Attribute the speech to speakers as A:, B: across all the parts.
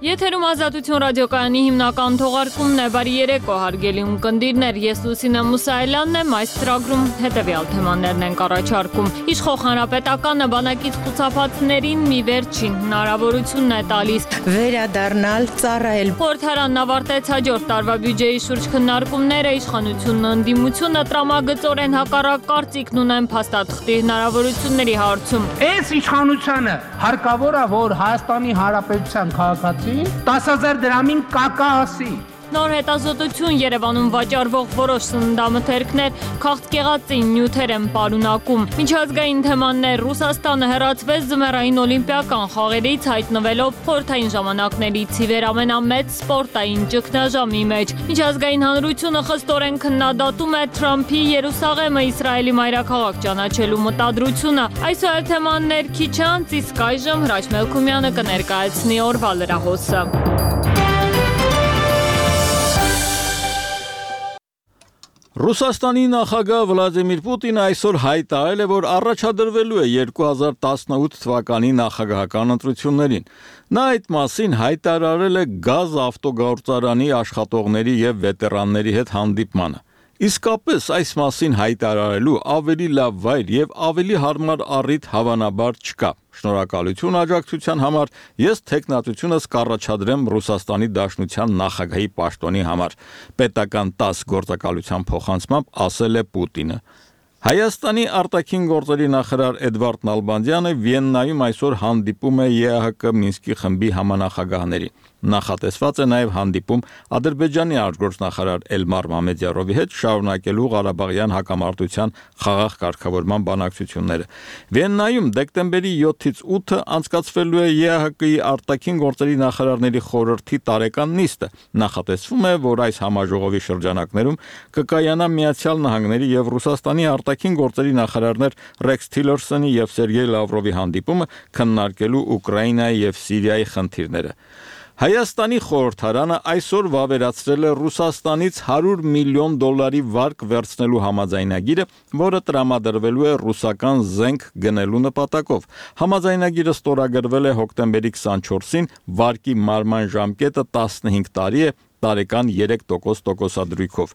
A: Եթերում Ազատություն ռադիոկայանի հիմնական թողարկումն է, բարի երեկո հարգելի ունկնդիրներ, ես Լուսինե Մուսայելյանն եմ, այս ծրագրում հետևյալ թեմաներն ենք առաջարկում։ Իշխող հանրապետականը բանակից խուցափածներին մի վերջին հնարավորությունն է տալիս
B: վերադառնալ ծառայել։
A: Խորհրդարանն ավարտեց հաջորդ տարվա բյուջեի շուրջ քննարկումները, իշխանությունն ընդդիմությունը տրամագծորեն հակառակ կարծիքն ունեն փաստաթղթի հնարավորությունների հարցում։
C: Այս իշխանությանը հարկավոր է, որ Հայաստանի Հանրապետության քաղաքացի 10,000 դրամին կակա ասի։
A: Նոր հետազոտություն Երևանում վաճառվող որոշ սննդամթերքներ քաղցկեղածին նյութեր են պարունակում։ Միջազգային թեմաններ Ռուսաստանը հեռացվեց ձմեռային օլիմպիական խաղերից, հայտնվելով խորհրդային ժամանակներից ի վեր ամենամեծ սպորտային ճգնաժամի մեջ։ Միջազգային հանրությունը խստորեն քննադատում է Թրամփի Երուսաղեմը Իսրայելի մայրաքաղաք ճանաչելու մտադրությունը։ Այսօր թեմաններ քիչ անց, իսկ այժմ Հրաչ Մելքումյանը կներկայացնի օրվա լրահոսը։
D: Ռուսաստանի նախագահ Վլադիմիր Պուտինը այսօր հայտարարել է, որ առաջադրվելու է 2018 թվականի նախագահական ընտրություններին։ Նա այդ մասին հայտարարել է գազ ավտոգործարանի աշխատողների եւ վետերանների հետ հանդիպմանը։ Իսկապես այս մասին հայտարարելու ավելի լավ վայր եւ ավելի հարմար առիթ հավանաբար չկա։ Շնորհակալություն աջակցության համար, ես թեկնածությունս կառաջադրեմ Ռուսաստանի Դաշնության նախագահի պաշտոնի համար, պետական 10 գործակալության փոխանցմամբ ասել է Պուտինը։ Հայաստանի արտաքին գործերի նախարար Էդվարդ Նալբանդյանը Վիեննայում այսօր հանդիպում է ԵԱՀԿ Մինսկի խմբի համանախագահներին։ Նախատեսված է նաև հանդիպում Ադրբեջանի արտգործնախարար Էլմար Մամեդյարովի հետ շարունակելու Ղարաբաղյան հակամարտության խաղաղ կարգավորման բանակցությունները։ Վիեննայում դեկտեմբերի 7-ից 8-ը անցկացվելու է ԵԱՀԿ-ի արտաքին գործերի նախարարների խորհրդի տարեկան նիստը։ Նախատեսվում է, որ այս համաժողովի շրջանակներում կկայանա Միացյալ Նահանգների եւ Ռուսաստանի արտաքին գործերի նախարարներ Ռեքս Թիլերսոնի եւ Սերգեյ Լավրովի հանդիպումը քննարկելու Ուկրաինայի եւ Սիրիայի խնդիրները։ Հայաստանի խորհրդարանը այսօր վավերացրել է Ռուսաստանից $100 միլիոն վարկ վերցնելու համաձայնագիրը, որը տրամադրվելու է ռուսական զենք գնելու նպատակով։ Համաձայնագիրը ստորագրվել է հոկտեմբերի 24-ին, վարկի մարման ժամկետը 15 տարի է, տարեկան 3% տոկոսադրույքով։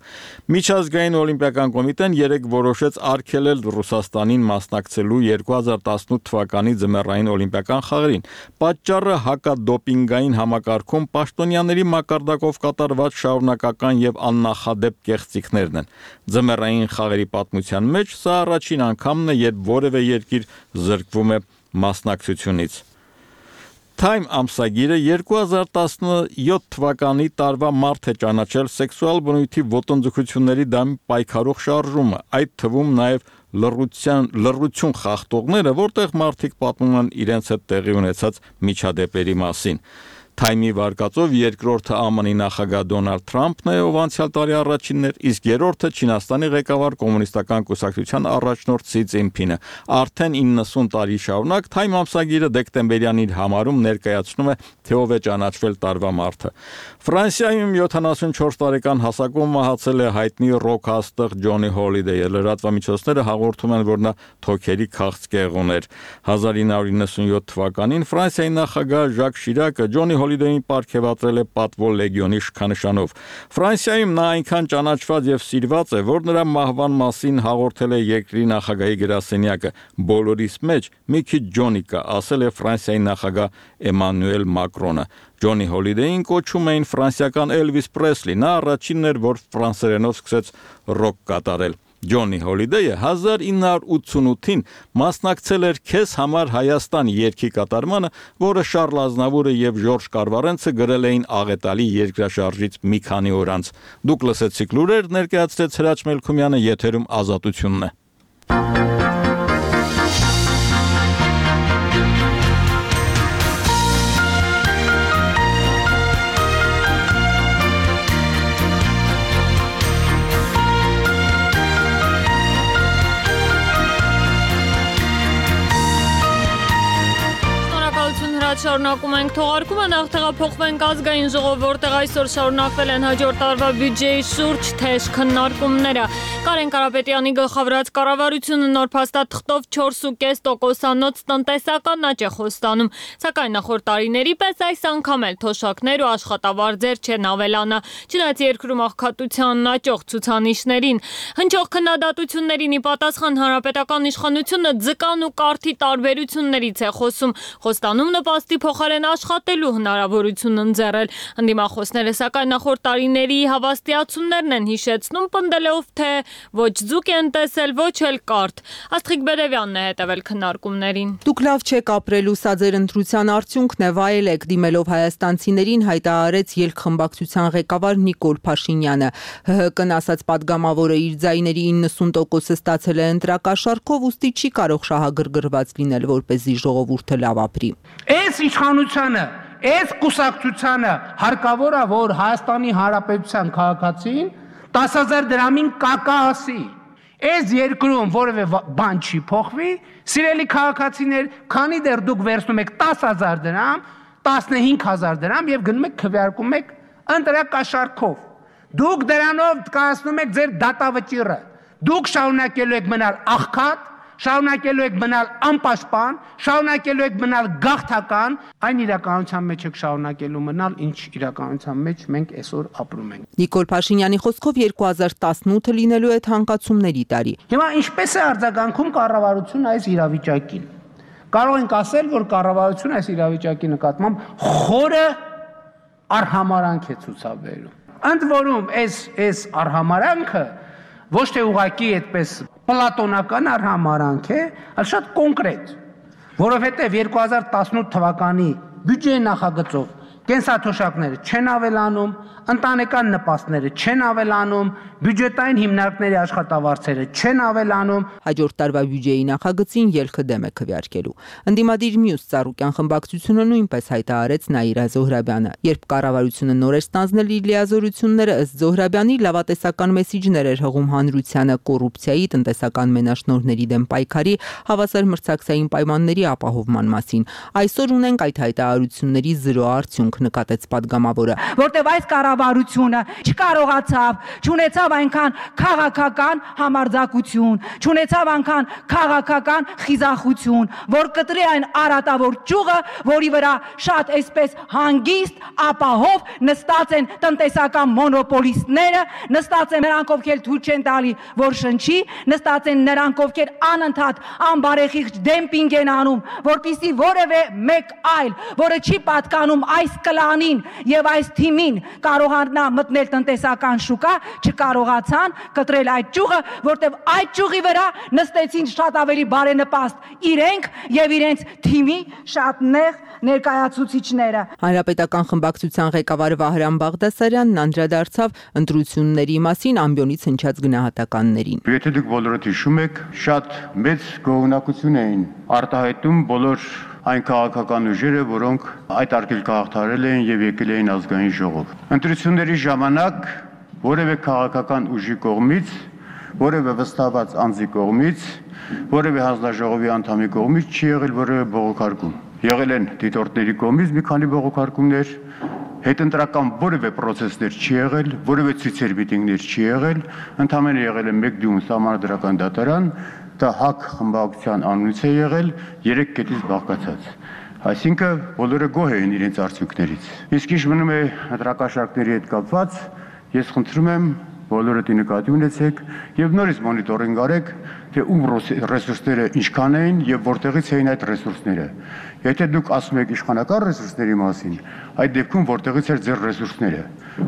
D: Միջազգային օլիմպիական կոմիտեն երեկ որոշեց արգելել Ռուսաստանին մասնակցելու 2018 թվականի ձմեռային օլիմպիական խաղերին։ Պատճառը հակադոպինգային համակարգում պաշտոնյաների մակարդակով կատարված շարունակական եւ աննախադեպ կեղծիքներն են։ Ձմեռային խաղերի պատմության մեջ սա առաջին անգամն է, երբ որևէ երկիր զրկվում է մասնակցությունից։ Time ամսագիրը 2017 թվականի տարվա մարտ է ճանաչել սեքսուալ բնույթի ոտնձգությունների դեմ պայքարող շարժումը, այդ թվում նաև լռություն խախտողները, որտեղ մարդիկ պատմում են իրենց հետ տեղի ունեցած միջադեպերի մասին։ Time-ի վարկածով երկրորդը ԱՄՆ-ի նախագահ Դոնալդ Թրամփն է, ով անցյալ տարի առաջինն էր, իսկ երրորդը Չինաստանի ղեկավար կոմունիստական կուսակցության առաջնորդ Սի Ցզինփինը։ Արդեն 90 տարի շարունակ Time ամսագիրը դեկտեմբերյան իր համարում ներկայացնում է, թե ով է ճանաչվել տարվա մարդը։ Ֆրանսիայում 74 տարեկան հասակում մահացել է հայտնի ռոք աստղ Ջոնի Հոլիդեյը։ Լրատվամիջոցները հաղորդում են, որ նա թոքերի քաղցկեղ ուներ։ 1997 թվականին Ֆրանսիայի նախագահ Ժակ Շիրակը Ջոնի Հոլիդեյին պարգևատրել է պատվո լեգիոնի շքանշանով։ Ֆրանսիայում նա այնքան ճանաչված եւ սիրված է, որ նրա մահվան մասին հաղորդել է երկրի նախագահի գրասենյակը։ Բոլորիս մեջ մի քիչ Ջոնի կա, ասել է Ֆրանսիայի նախագահ Էմանուել Մակրոնը։ Ջոնի Հոլիդեյին կոչում էին ֆրանսիական Էլվիս Պրեսլի, նա առաջինն էր, որ ֆրանսերենով սկսեց ռոք կատարել։ Ջոնի Հոլիդեյը 1988-ին մասնակցել էր «Քեզ համար Հայաստան» երգի կատարմանը, որը Շառլ Ազնավուրը եւ Ժորժ Կարվարենցը գրել էին աղետալի երկրաշարժից մի քանի օր անց։ Դուք լսեցիք լուրեր, ներկայացրեց Հրաչ Մելքումյանը, եթերում Ազատությունն է։
A: հետ շարունակում ենք թողարկումը, նախ տեղափոխվենք ազգային ժողով, որտեղ այսօր շարունակվել են հաջորդ տարվա բյուջեի շուրջ թեժ քննարկումները։ Կարեն Կարապետյանի գլխավորած կառավարությունը նոր փաստաթղթով 4.5%-անոց տնտեսական աճ է խոստանում, սակայն նախորդ տարիների պես այս անգամ էլ թոշակներ ու աշխատավարձեր չեն ավելանա, չնայած երկրում աղքատությանն աճող ցուցանիշներին։ Հնչող քննադատություններին ի պատասխան հանրապետական իշխանությունը ձկան ու կարթի տարբերություններից է խոսում, խոստանում նպաստի փոխարեն աշխատելու հնարավորություն ընձեռել։ Ընդդիմախոսները սակայն նախորդ տարիների հավաստիացումներն են հիշեցնում, պնդելով, թե ոչ ձուկ են տեսել, ոչ էլ կարթ։ Աստղիկ Բերևյանն է հետևել քննարկումներին։
B: Դուք լավ չեք ապրելու, սա ձեր ընտրության արդյունքն է, վայելեք, դիմելով հայաստանցիներին հայտարարեց ելքխմբակցության ղեկավար Նիկոլ Փաշինյանը։ ՀՀԿ-ն ասաց պատգամավորը իր ձայների 90%-ը ստացել է ընտրակաշառքով, ուստի չի կարող շահագրգռված լինել, որպեսզի ժողովուրդը լավ ապրի։
C: Այս իշխանությանը, այս կուսակցությանը հարկավոր է, որ Հայաստանի Հանրապետության քաղաքացին 10,000 դրամին կակա ասի։ Այս երկրում որևէ բան չի փոխվի, սիրելի քաղաքացիներ, քանի դեռ դուք վերցնում եք 10,000 դրամ, 15,000 դրամ եւ գնում եք քվեարկում եք ընտրակաշառքով։ Դուք դրանով կայացնում եք ձեր դատավճիռը։ Դուք շարունակելու եք մնալ աղքատ, շարունակելու եք մնալ անպաշտպան, շարունակելու եք մնալ գաղթական, այն իրականության մեջ եք շարունակելու մնալ, ինչ իրականության մեջ մենք այսօր ապրում ենք։
B: Նիկոլ Փաշինյանի խոսքով 2018-ը լինելու է թանկացումների տարի։
C: Հիմա ինչպես է արձագանքում կառավարությունը այս իրավիճակին։ Կարող ենք ասել, որ կառավարությունը այս իրավիճակի նկատմամբ խորը արհամարանք է ցուցաբերում։ Ընդ որում այս արհամարանքը ոչ թե ուղղակի այդպես պլատոնական արհամարանք է, այլ շատ կոնկրետ, որովհետև 2018 թվականի բյուջեի նախագծով կենսաթոշակները չեն ավելանում, ընտանեկան նպաստները չեն ավելանում, բյուջետային հիմնարկների աշխատավարձերը չեն ավելանում։
B: Հաջորդ տարվա բյուջեի նախագծին ելքը դեմ է քվեարկելու։ Ընդդիմադիր մյուս ծառուկյան խմբակցությունը նույնպես հայտարարեց Նաիրա Զոհրաբյանը։ Երբ կառավարությունը նոր էր ստանձնել իր լիազորությունները, ըստ Զոհրաբյանի լավատեսական մեսիջներ էր հղում հանրությանը կոռուպցիայի, տնտեսական մենաշնորհների դեմ պայքարի, հավասար մրցակցային պայմանների ապահովման մասին։ Այսօր ունենք այդ հայտարարությունների զրո արդյունք, նկատեց պատգամավորը։
E: Որտեւ այս կառավարությունը չկարողացավ, չունեցավ այնքան քաղաքական համարձակություն, չունեցավ այնքան քաղաքական խիզախություն, որ կտրի այն արատավոր ճյուղը, որի վրա շատ այսպես հանգիստ, ապահով նստած են տնտեսական մոնոպոլիստները, նստած են նրանք, ովքեր թույլ չեն տալի, որ շնչի, նստած են նրանք, ովքեր անընդհատ անբարեխիղճ դեմպինգ են անում, որպեսզի որևէ մեկ այլ, որը չի պատկանում այս կլանին եւ այս թիմին կարողանա մտնել տնտեսական շուկա, չկարողացան կտրել այդ ճյուղը, որտեւ այդ ճյուղի վրա նստեցին շատ ավելի բարենպաստ իրենք եւ իրենց թիմի շատ նեղ ներկայացուցիչները։
B: Հանրապետական խմբակցության ղեկավար Վահրամ Բաղդասարյանն անդրադարձավ ընտրությունների մասին ամբիոնից հնչած գնահատականներին։
F: Եթե դուք բոլորդ հիշում եք, շատ մեծ գոհունակություն էին արտահայտում բոլոր այն քաղաքական ուժերը, որոնք այդ արգելքը հաղթահարել էին եւ եկել էին ազգային ժողով։ Ընտրությունների ժամանակ որևէ քաղաքական ուժի կողմից, որևէ վստահված անձի կողմից, որևէ հանձնաժողովի անդամի կողմից չի եղել որևէ բողոքարկում։ Եղել են դիտորդների կողմից մի քանի բողոքարկումներ, հետընտրական որևէ process-ներ չի եղել, որևէ ցույցեր միտինգներ չի եղել, ընդհանրապես եղել է մեկ դյուն սահմանադրական դատարան, դա ՀԱԿ խմբակցության անունից է եղել 3 կետից բաղկացած։ Այսինքն բոլորը գոհ էին իրենց արդյունքներից։ Իսկ ինչ մնում է ընտրակաշառքների հետ կապված, ես խնդրում եմ բոլորը դի նկատի ունեցեք եւ նորից մոնիտորինգ արեք, թե ում ռեսուրսները ինչքան էին եւ որտեղից էին այդ ռեսուրսները։ Եթե դուք ասում եք իշխանական ռեսուրսների մասին, այդ դեպքում որտեղից էր ձեր ռեսուրսները,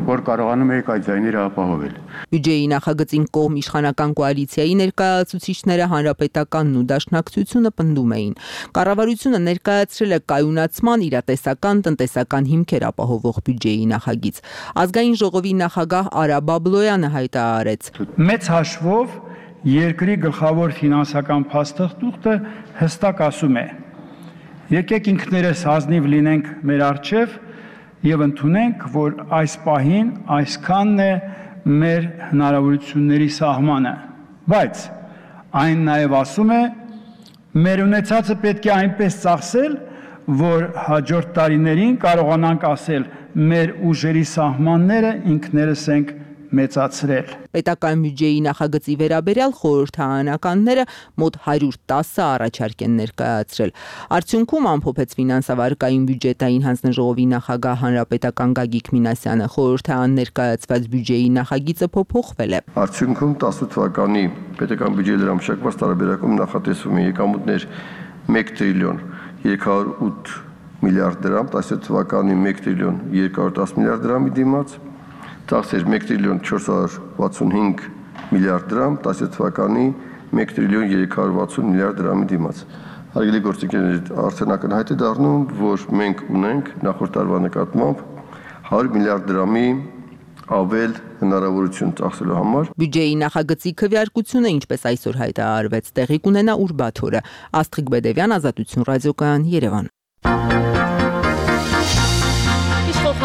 F: որ կարողանում եք այդ ձայները ապահովել։
B: Բյուջեի նախագծին կողմ իշխանական կոալիցիայի ներկայացուցիչները Հանրապետականն ու Դաշնակցությունը պնդում էին։ Կառավարությունը ներկայացրել է կայունացման, իրատեսական, տնտեսական հիմքեր ապահովող բյուջեի նախագիծ։ Ազգային ժողովի նախագահ Արա Բաբլոյանը հայտարարեց.
G: Մեծ հաշվով երկրի գլխավոր ֆինանսական փաստաթուղթը հստակ ասում է. եկեք ինքներս ազնիվ լինենք մեր առջև եւ ընդունենք, որ այս պահին այսքանն է մեր հնարավորությունների սահմանը, բայց այն նաեւ ասում է, մեր ունեցածը պետք է այնպես ծախսել, որ հաջորդ տարիներին կարողանանք ասել մեր ուժերի սահմանները ինքներս ենք մեծացրել։
B: Պետական բյուջեի նախագծի վերաբերյալ խորհրդարանականները մոտ 110 առաջարկ են ներկայացրել։ Արդյունքում ամփոփեց ֆինանսավարկային բյուջետային հանձնաժողովի նախագահ հանրապետական Գագիկ Մինասյանը, խորհրդարան ներկայացված բյուջեի նախագիծը փոփոխվել է։
H: Արդյունքում 18 թվականի պետական բյուջեի դրամաշակված տարբերակում նախատեսվում է եկամուտներ 1 տրիլիոն 308 միլիարդ դրամ, 17 թվականի 1 տրիլիոն 210 միլիարդ դրամի դիմաց, ծախսեր 1 տրիլիոն 465 միլիարդ դրամ, 17 թվականի 1 տրիլիոն 360 միլիարդ դրամի դիմաց։ Հարգելի գործընկերներ, արդեն ակնհայտ է դառնում, որ մենք ունենք նախորդ տարվա նկատմամբ 100 միլիարդ դրամի ավել հնարավորություն ծախսելու համար։
B: Բյուջեի նախագծի քվեարկությունը, ինչպես այսօր հայտարարվեց, տեղի կունենա ուրբաթ օրը։ Աստղիկ Բեդևյան, Ազատություն ռադիոկայան, Երևան։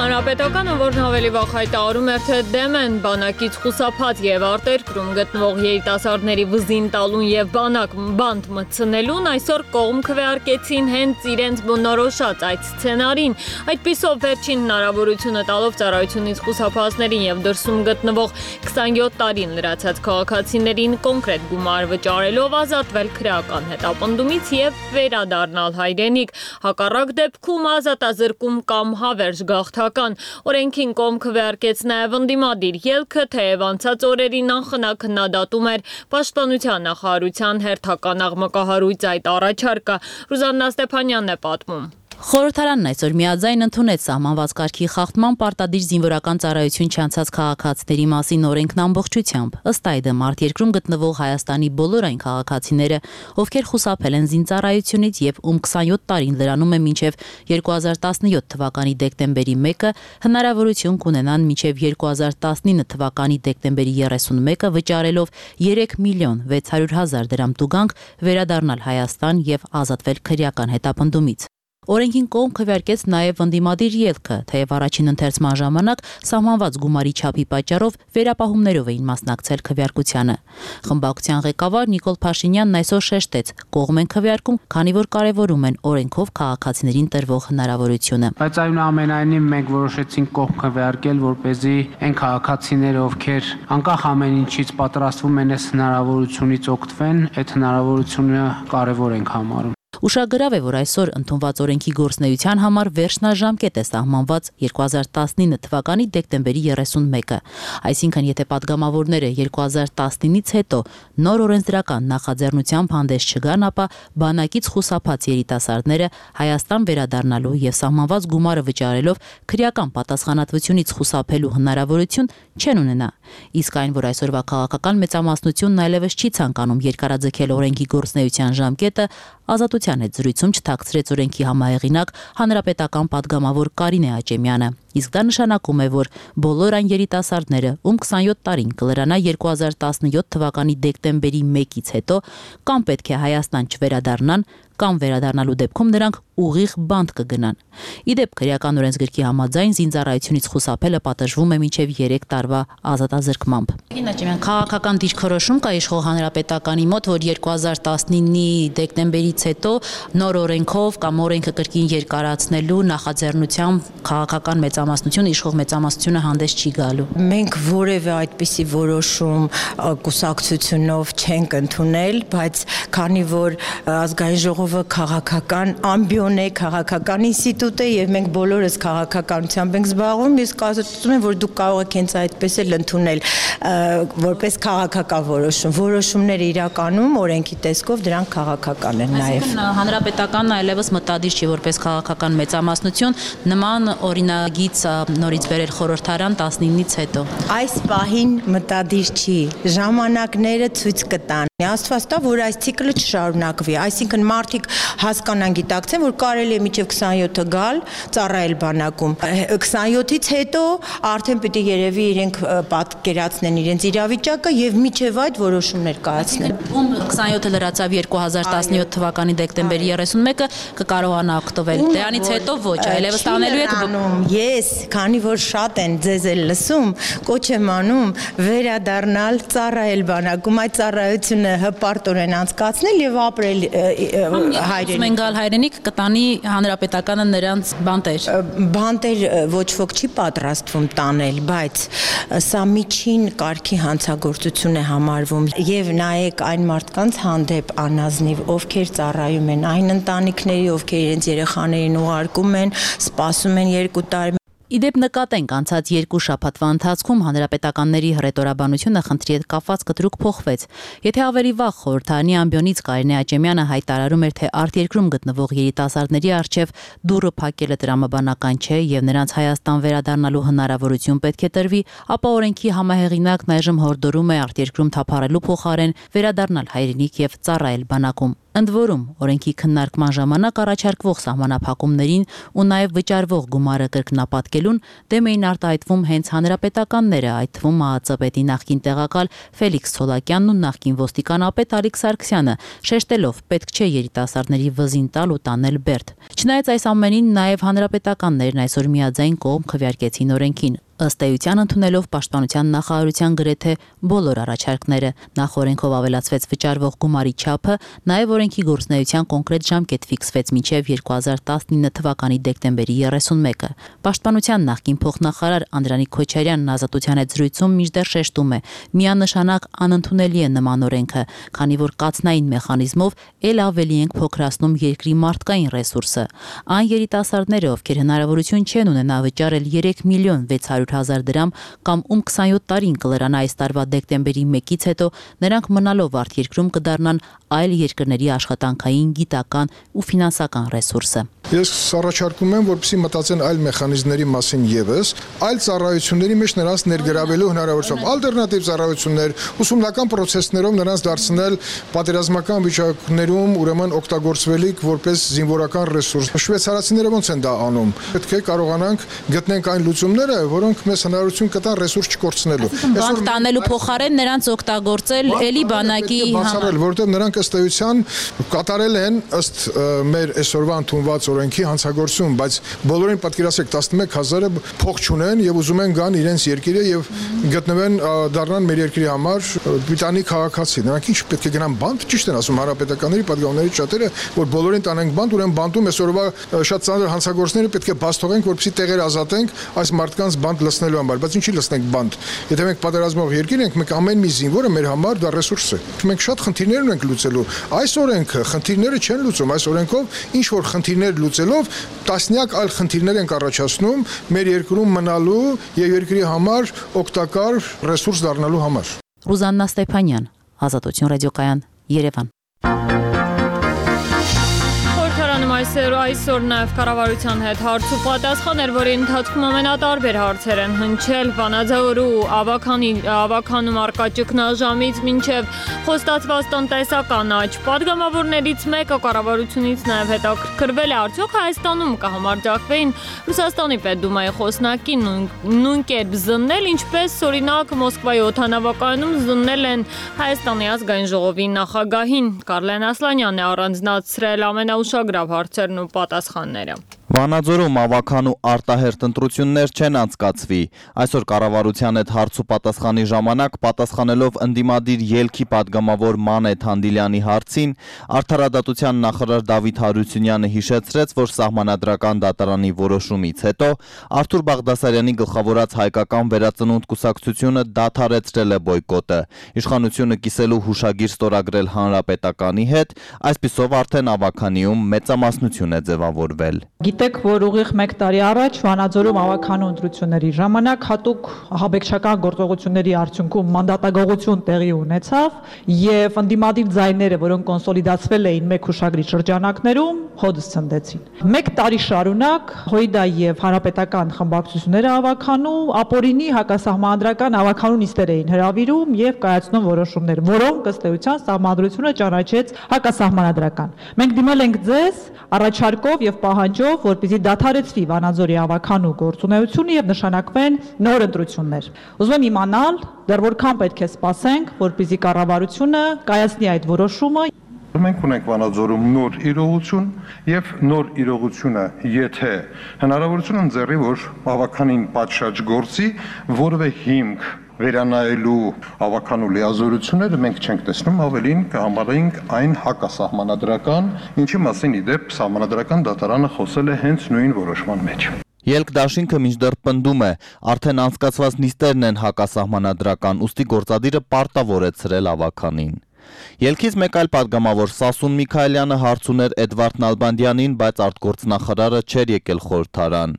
A: Հանրապետականը, որն ավելի վաղ հայտարարում էր, թե դեմ են բանակից խուսափած եւ արտերկրում գտնվող երիտասարդների վզին տալուն եւ բանտ մտցնելուն, այսօր կողմ քվեարկեցին հենց իրենց բնորոշած այդ սցենարին։ Այդպիսով վերջին հնարավորությունը տալով ծառայությունից խուսափածներին եւ դրսում գտնվող 27 տարին լրացած քաղաքացիներին կոնկրետ գումար վճարելով ազատվել քրեական հետապնդումից եւ վերադառնալ հայրենիք։ Հակառակ դեպքում ազատազրկում կամ հավերժ գաղթական։ Օրենքին կողմ քվեարկեց նաև ընդդիմադիր ելքը, թեև անցած օրերին անխնա քննադատում էր Պաշտպանության նախարարության հերթական աղմկահարույց այդ առաջարկը։ Ռուզաննա Ստեփանյանն է պատմում։
I: Խորհրդարանն այսօր միաձայն ընդունեց սահմանված կարգի խախտման պարտադիր զինվորական ծառայություն չանցած քաղաքացիների մասին օրենքն ամբողջությամբ։ Ըստ այդմ արտերկրում գտնվող Հայաստանի բոլոր այն քաղաքացիները, ովքեր խուսափել են զինծառայությունից եւ ում 27 տարին լրանում է մինչեւ 2017 թվականի դեկտեմբերի 1-ը, հնարավորություն կունենան մինչեւ 2019 թվականի դեկտեմբերի 31-ը վճարելով 3 միլիոն 600 հազար դրամ տուգանք վերադառնալ Հայաստան եւ ազատվել քրեական հետապնդումից։ Օրենքին կողմ քվեարկեց նաև ընդդիմադիր ելքը, թեև առաջին ընթերցման ժամանակ սահմանված գումարի չափի պատճառով վերապահումներով էին մասնակցել քվեարկությանը։ Խմբակցության ղեկավար Նիկոլ Փաշինյանն այսօր շեշտեց, կողմ են քվեարկում, քանի որ կարևորում են օրենքով քաղաքացիներին տրվող հնարավորությունը։
C: Բայց այնուամենայնիվ մենք որոշեցինք կողմ քվեարկել, որպեսզի այն քաղաքացիները, ովքեր անկախ ամեն ինչից պատրաստվում են այս հնարավորությունից օգտվեն, այդ հնարավորությունը կարևոր ենք համարում։
I: Ուշագրավ է, որ այսօր ընդունված օրենքի գործնեության համար վերջնաժամկետ է սահմանված 2019 թվականի դեկտեմբերի 31-ը։ Այսինքն, եթե падգամավորները 2019-ից հետո նոր օրենսդրական նախաձեռնությամբ հանդես չգան, ապա բանակից խուսափած երիտասարդները Հայաստան վերադառնալու եւ սահմանված գումարը վճարելով քրեական պատասխանատվությունից խուսափելու հնարավորություն չեն ունենա։ Իսկ այն, որ այսօրվա քաղաքական մեծամասնությունն այլևս չի ցանկանում երկարաձգել օրենքի գործնեության ժամկետը, Ազատության հետ զրույցում չթաքցրեց օրենքի համահեղինակ հանրապետական падգամավոր Կարինե Աճեմյանը։ Իսկ դա նշանակում է, որ բոլոր այն երիտասարդները, ում 27 տարին կլրանա 2017 թվականի դեկտեմբերի 1-ից հետո, կամ պետք է Հայաստան չվերադառնան, կամ վերադառնալու դեպքում նրանք ուղիղ բանտ կգնան։ Իդեպ քրեական օրենսգրքի համաձայն զինծառայությունից խուսափելը պատժվում է մինչև 3 տարվա ազատազրկմամբ։ Քաղաքական դիրքորոշում կա իշխող հանրապետականի մոտ, որ 2019-ի դեկտեմբերից հետո նոր օրենքով կամ օրենքը կրկին երկարացնելու նախաձեռնությամբ քաղաքական մեծամասնությունը, իշխող մեծամասնությունը հանդես չի գալու։
J: Մենք որևէ այդպիսի որոշում կուսակցությունով չենք ընդունել, բայց քանի որ ազգային ժողովը քաղաքական ամբիոն է, քաղաքական ինստիտուտ է եւ մենք բոլորս քաղաքականությամբ ենք զբաղվում, ես կարծում եմ, որ դուք կարող եք հենց այդպես էլ ընդունել որպես քաղաքական որոշում։ Որոշումները իրականում օրենքի տեսքով դրանք քաղաքական են նաեւ։
I: Հանրապետականն այլևս մտադիր չի որպես քաղաքական մեծամասնություն նման օրինագիծ նորից վերել խորհրդարան 19-ից հետո։
J: Այս պահին մտադիր չի, ժամանակները ցույց կտան։ Աստված տա, որ այս ցիկլը չշարունակվի, այսինքն մարդիկ հասկանան, գիտակցեն, որ կարելի է մինչև 27-ը գալ, ծառայել բանակում։ 27-ից հետո արդեն պիտի երևի իրենք պատկերացնեն իրենց իրավիճակը եւ միջև այդ որոշումներ կայացնեն։
I: Ում 27-ը լրացավ 2017 թվականի դեկտեմբերի 31-ը կկարողանա օգտվել։ Դրանից հետո ոչ, այլևս տանելու եք։
J: Ես, քանի որ շատ են ձեզ էլ լսում, կոչ եմ անում վերադառնալ ծառայել բանակում, այդ ծառայությունը հպարտորեն անցկացնել եւ ապրել
I: Մենգալ հայրենիք կտանի հանրապետականը նրանց բանտեր։
J: Բանտեր ոչ ոք չի պատրաստվում տանել, բայց սա միջին կարգի հանցագործություն է համարվում եւ նայեք այն մարդկանց հանդեպ անազնիվ, ովքեր ծառայում են այն ընտանիքների, ովքեր իրենց երեխաներին ուղարկում են, սպասում են 2 տարի։
I: Իդեպ նկատենք անցած 2 շաբաթվա ընթացքում հանրապետականների հռետորաբանությունը խնդրի հետ կապված կտրուկ փոխվեց։ Եթե ավելի վաղ խորհրդարանի ամբիոնից Կարինե Աճեմյանը հայտարարում էր, թե արտերկրում գտնվող երիտասարդների առջև դուռը փակելը տրամաբանական չէ եւ նրանց Հայաստան վերադառնալու հնարավորություն պետք է տրվի, ապա օրենքի համահեղինակն այժմ հորդորում է արտերկրում թափառելու փոխարեն վերադառնալ հայրենիք եւ ծառայել բանակում։ Ընդ որում, օրենքի քննարկման ժամանակ առաջարկվող սահմանափակումներին ու նաև վճարվող գումարը կրկնապատկելուն դեմ էին արտահայտվում հենց հանրապետականները, այդ թվում ՄԱԱԾ պետի նախկին տեղակալ Ֆելիքս Ցոլակյանն ու նախկին ոստիկանապետ Ալիկ Սարգսյանը, շեշտելով պետք չէ երիտասարդների վզին տալ ու տանել բերդ։ Չնայած այս ամենին, նաև հանրապետականներն այսօր միաձայն կողմ քվեարկեցին օրենքին։ Ըստ էության ընդունելով Պաշտպանության նախարարության գրեթե բոլոր առաջարկները, նախ օրենքով ավելացվեց վճարվող գումարի չափը, նաև օրենքի գործունեության կոնկրետ ժամկետ ֆիքսվեց մինչև 2019 թվականի դեկտեմբերի 31-ը։ Պաշտպանության նախկին փոխնախարար Անդրանիկ Քոչարյանն Ազատության հետ զրույցում մինչդեռ շեշտում է, միանշանակ անընդունելի է նման օրենքը, քանի որ կացնային մեխանիզմով ել ավելի ենք փոքրացնում երկրի մարդկային ռեսուրսը։ Այն երիտասարդները, ովքեր հնարավորություն չեն ունենա վճարել 3 միլիոն 600,000 դրամ կամ ում 27 տարին կլրանա այս տարվա դեկտեմբերի 1-ից հետո, նրանք մնալով արտերկրում կդառնան այլ երկրների աշխատանքային, գիտական ու ֆինանսական ռեսուրսը։
K: Ես առաջարկում եմ, որպեսզի մտածեն այլ մեխանիզմների մասին եւս, այլ ծառայությունների մեջ նրանց ներգրավելու հնարավորությամբ, ալտերնատիվ ծառայություններ, ուսումնական process-ներով նրանց դարձնել պատերազմական վիճակներում ուրեմն օգտագործվելիք որպես զինվորական ռեսուրս։ Շվեյցարացիները ոնց են դա անում։ Պետք է կարողանանք գտնենք այն լուծումները, որոնք մեզ հնարավորություն կտան ռեսուրս չկորցնելու։
I: Բանկ տանելու փոխարեն նրանց օգտագործել էլի բանակի
K: բացառել, որովհետև նրանք ըստ էության կատարել են ըստ մեր այսօրվա ընդունված օրենքի հանցագործություն, բայց բոլորին պատկերացրեք 11,000-ը փող չունեն եւ ուզում են գան իրենց երկիրը եւ գտնվեն դառնան մեր երկրի համար բրիտանի քաղաքացի։ Նրանք ինչ պետք է գնան բանտ, ճիշտ են ասում հանրապետականների падգամների շատերը, որ բոլորին տանենք բանտ, ուրեմն բանտում այսօրվա շատ ծանր հանցագործները պետք է բաց թողենք, որպեսզի տեղեր ազատենք այս մարդկանց բանտ լցնելու համար, բայց ինչի լցնենք բանտ։ Եթե մենք պատերազմող երկիր ենք, մենք ամեն մի զինվորը մեր համար դա ռեսուրս է։ Մենք շատ խնդիրներ ունենք լուծելու։ Այս օրենքը խնդիրները չեն լուծում, այս օրենքով ինչ որ խնդիրներ լուծելով տասնյակ այլ խնդիրներ ենք առաջացնում մեր երկրում մնալու եւ երկրի համար օգտակար ռեսուրս դառնալու համար։
I: Ռուզաննա Ստեփանյան, Ազատություն ռադիոկայան, Երևան։
A: Այսօր նաև կառավարության հետ հարց ու պատասխան էր, որի ընթացքում ամենատարբեր հարցեր են հնչել Վանաձորու ավաքանում առկա ճգնաժամից մինչև խոստացված տնտեսական աճ։ Պատգամավորներից մեկը կառավարությունից նաև հետաքրքրվել է, արդյոք Հայաստանում կհամարձակվեին Ռուսաստանի Պետդումայի խոսնակին նույն կերպ զննել, ինչպես օրինակ Մոսկվայի օդանավակայանում զննել են Հայաստանի ազգային ժողովի նախագահին։ Կարլեն Ասլանյանն է առանձնացրել ամենաուշագրավ հարցերն ու պատասխանները։
L: Վանաձորում ավաքանու արտահերթ ընտրություններ չեն անցկացվի։ Այսօր կառավարության հետ հարց ու պատասխանի ժամանակ պատասխանելով ընդդիմադիր ելքի падգամավոր Մանեթ Հանդիլյանի հարցին, Արդարադատության նախարար Դավիթ Հարությունյանը հիշեցրեց, որ Սահմանադրական դատարանի որոշումից հետո Արթուր Բաղդասարյանի գլխավորած հայկական վերածնունդ կուսակցությունը դադարեցրել է բոյկոտը։ Իշխանությունը կիսելու հուշագիր ստորագրել Հանրապետականի հետ, այսպիսով արդեն ավաքանիում մեծամասնություն է ձևավորվել։
M: Գիտեք, որ ուղիղ 1 տարի առաջ Վանաձորում ավաքանու ընտրությունների ժամանակ հատուկ ահաբեկչական գործողությունների արդյունքում մանդատագողություն տեղի ունեցավ եւ ընդդիմադիր ձայները, որոնք կոնսոլիդացվել էին մեկ հուշագրի շրջանակներում, հոդս ցնդեցին։ 1 տարի շարունակ ՀՅԴ եւ հանրապետական խմբակցությունները ավաքանու ապօրինի հակասահմանադրական ավաքանու նիստեր էին հրավիրում եւ կայացնում որոշումներ, որոնք ըստ էության սահմանադրությունը ճանաչեց հակասահմանադրական։ Մենք դիմել ենք ձեզ առաջարկով եւ պահանջով, որպեսզի դադարեցվի Վանաձորի ավաքանու գործունեությունը եւ նշանակվեն նոր ընտրություններ։ Ուզում եմ իմանալ, դեռ որքան պետք է սպասենք, որպեսզի կառավարությունը կայացնի այդ որոշումը։
N: Մենք ունենք Վանաձորում նոր իրողություն եւ նոր իրողությունը, եթե հնարավորություն ընձեռի, որ ավաքանին պատշաճ գործի որևէ հիմք վերանայելու ավականու լիազորությունները մենք չենք տեսնում, ավելին կհամարենք այն հակասահմանադրական, ինչի մասին իդեպ սահմանադրական դատարանը խոսել է հենց նույն որոշման մեջ։
L: Ելք դաշինքը մինչդեռ պնդում է, արդեն անցկացված նիստերն են հակասահմանադրական, ուստի գործադիրը պարտավորեցրել ավականին։ Ելքից մեկ այլ պատգամավոր Սասուն Միքայելյանը հարց ուներ Էդվարդ Նալբանդյանին, բայց արտգործնախարարը չէր եկել խորհրդարան։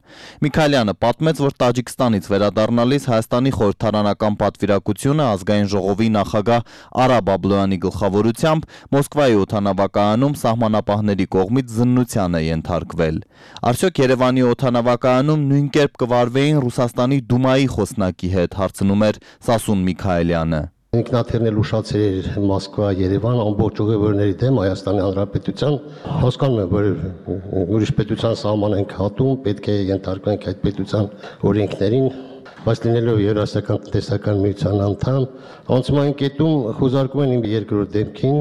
L: Միքայելյանը պատմեց, որ Տաջիկստանից վերադառնալիս Հայաստանի խորհրդարանական պատվիրակությունը ազգային ժողովի նախագահ Արա Բաբլոյանի գլխավորությամբ Մոսկվայի օդանավակայանում սահմանապահների կողմից զննության է ենթարկվել։ Արդյոք Երևանի օդանավակայանում նույն կերպ կվարվեին Ռուսաստանի Դումայի խոսնակի հետ, հարցնում էր Սասուն Միքայելյանը։
O: Ինքնաթիռն էլ ուշացրել էր Մոսկվա, Երևան, ամբողջ ուղևորների դեմ Հայաստանի Հանրապետության, հասկանում եմ, որ ուրիշ պետության սահման ենք հատում, պետք է ենթարկվենք այդ պետության օրենքներին, բայց լինելով Եվրասիական տնտեսական միության անդամ, անցման կետում խոզարկում են իմ երկրորդ դեմքին,